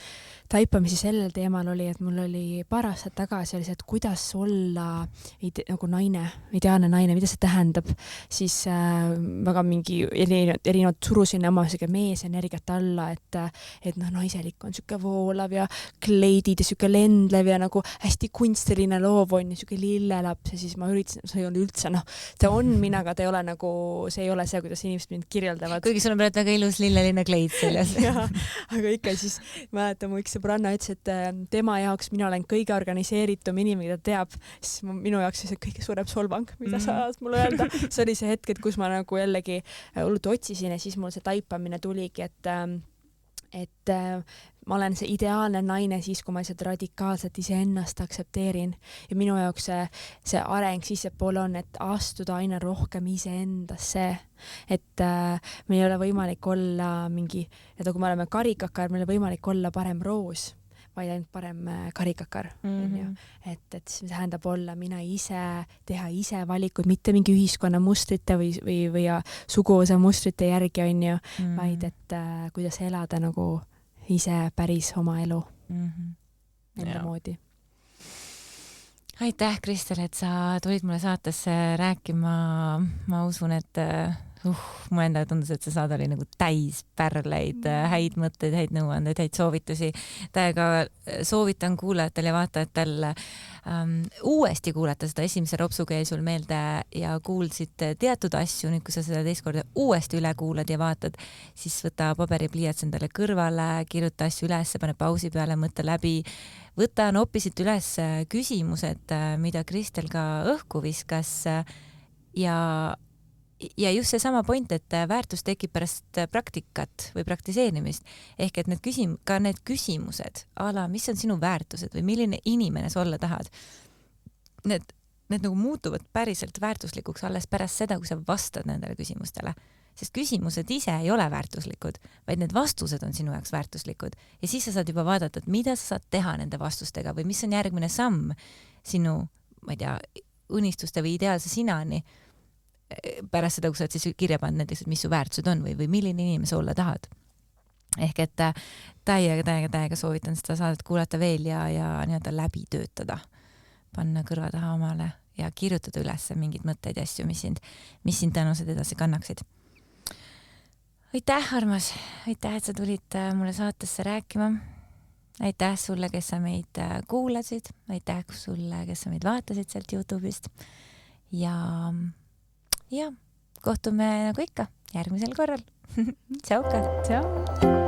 taipamisi sellel teemal oli, et mul oli paar aastat tagasi oli see, et kuidas olla nagu naine, ideaalne naine, mida see tähendab, siis väga mingi erinevad surusin oma meesenergiat alla, et naiselik on siuke voolav ja kleidid ja siuke lendlev ja nagu hästi kunstiline loov on ja siuke lillelaps ja siis ma üritasin, see ei olnud üldse, see on mina, aga ta ei ole nagu, see ei ole see, kuidas inimesed mind kirjeldavad. Kuigi sul on praegu väga ilus lilleline kleid seljas. Aga ikka siis mäletan, mu üks sõbranna ütles, et tema jaoks mina olen kõige organiseeritum inimene, mida teab, siis minu jaoks see kõige suurem solvang, mida sa mulle öelda. See oli see hetk, et kus ma nagu jällegi hullult otsisin ja siis mul see taipamine tuligi, et ma olen see ideaalne naine siis, kui ma lihtsalt radikaalselt iseennast aktsepteerin ja minu jaoks see areng sissepoole on, et astuda aina rohkem iseendasse, et meil ei ole võimalik olla mingi, et kui me oleme karikakar, meil ei ole võimalik olla parem roos, vaid ainult parem karikakar. Et see tähendab olla mina ise, teha ise valikuid, mitte mingi ühiskonna mustrite või suguvõsa mustrite järgi on ju, vaid et kuidas elada nagu ise päris oma elu enda moodi. Aitäh, Kristel, et sa tulid mulle saatesse rääkima. Ma usun, et mulle endale tundus, et see saade oli nagu täis pärleid, häid mõtteid, häid nõuandeid, häid soovitusi. Täiega soovitan kuulajatel ja vaatajatel uuesti kuulata seda. Esimese ropsuga jäi sul meelde ja kuulsid teatud asju. Nüüd, kui sa seda teist korda uuesti üle kuulad ja vaatad, siis võta paberi pliiats endale kõrvale, kirjuta asju üles, pane pausi peale, mõtle läbi. Võta noppisid üles küsimused, mida Kristel ka õhku viskas ja just see sama point, et väärtus tekib pärast praktikat või praktiseerimist. Ehk et need küsimused, mis on sinu väärtused või milline inimene sa olla tahad, need nagu muutuvad päriselt väärtuslikuks alles pärast seda, kui sa vastad nendele küsimustele. Sest küsimused ise ei ole väärtuslikud, vaid need vastused on sinu jaoks väärtuslikud. Ja siis sa saad juba vaadata, et mida sa saad teha nende vastustega või mis on järgmine samm sinu, ma ei tea, unistuste või ideaalse sinani pärast seda, kui sa oled siis kirja pannud näiteks, et mis su väärtused on või milline inimene sa olla tahad. Ehk et täiega soovitan seda saadet kuulata veel ja nii-öelda läbi töötada. Panna kõrva taha omale ja kirjutada üles mingid mõtteid ja asju, mis sind tänused edasi kannaksid. Aitäh, armas! Aitäh, et sa tulid mulle saatesse rääkima. Aitäh sulle, kes sa meid kuulasid. Aitäh sulle, kes sa meid vaatasid sealt YouTube'ist. Ja kohtume nagu ikka järgmisel korral. Tšauka! Tšau!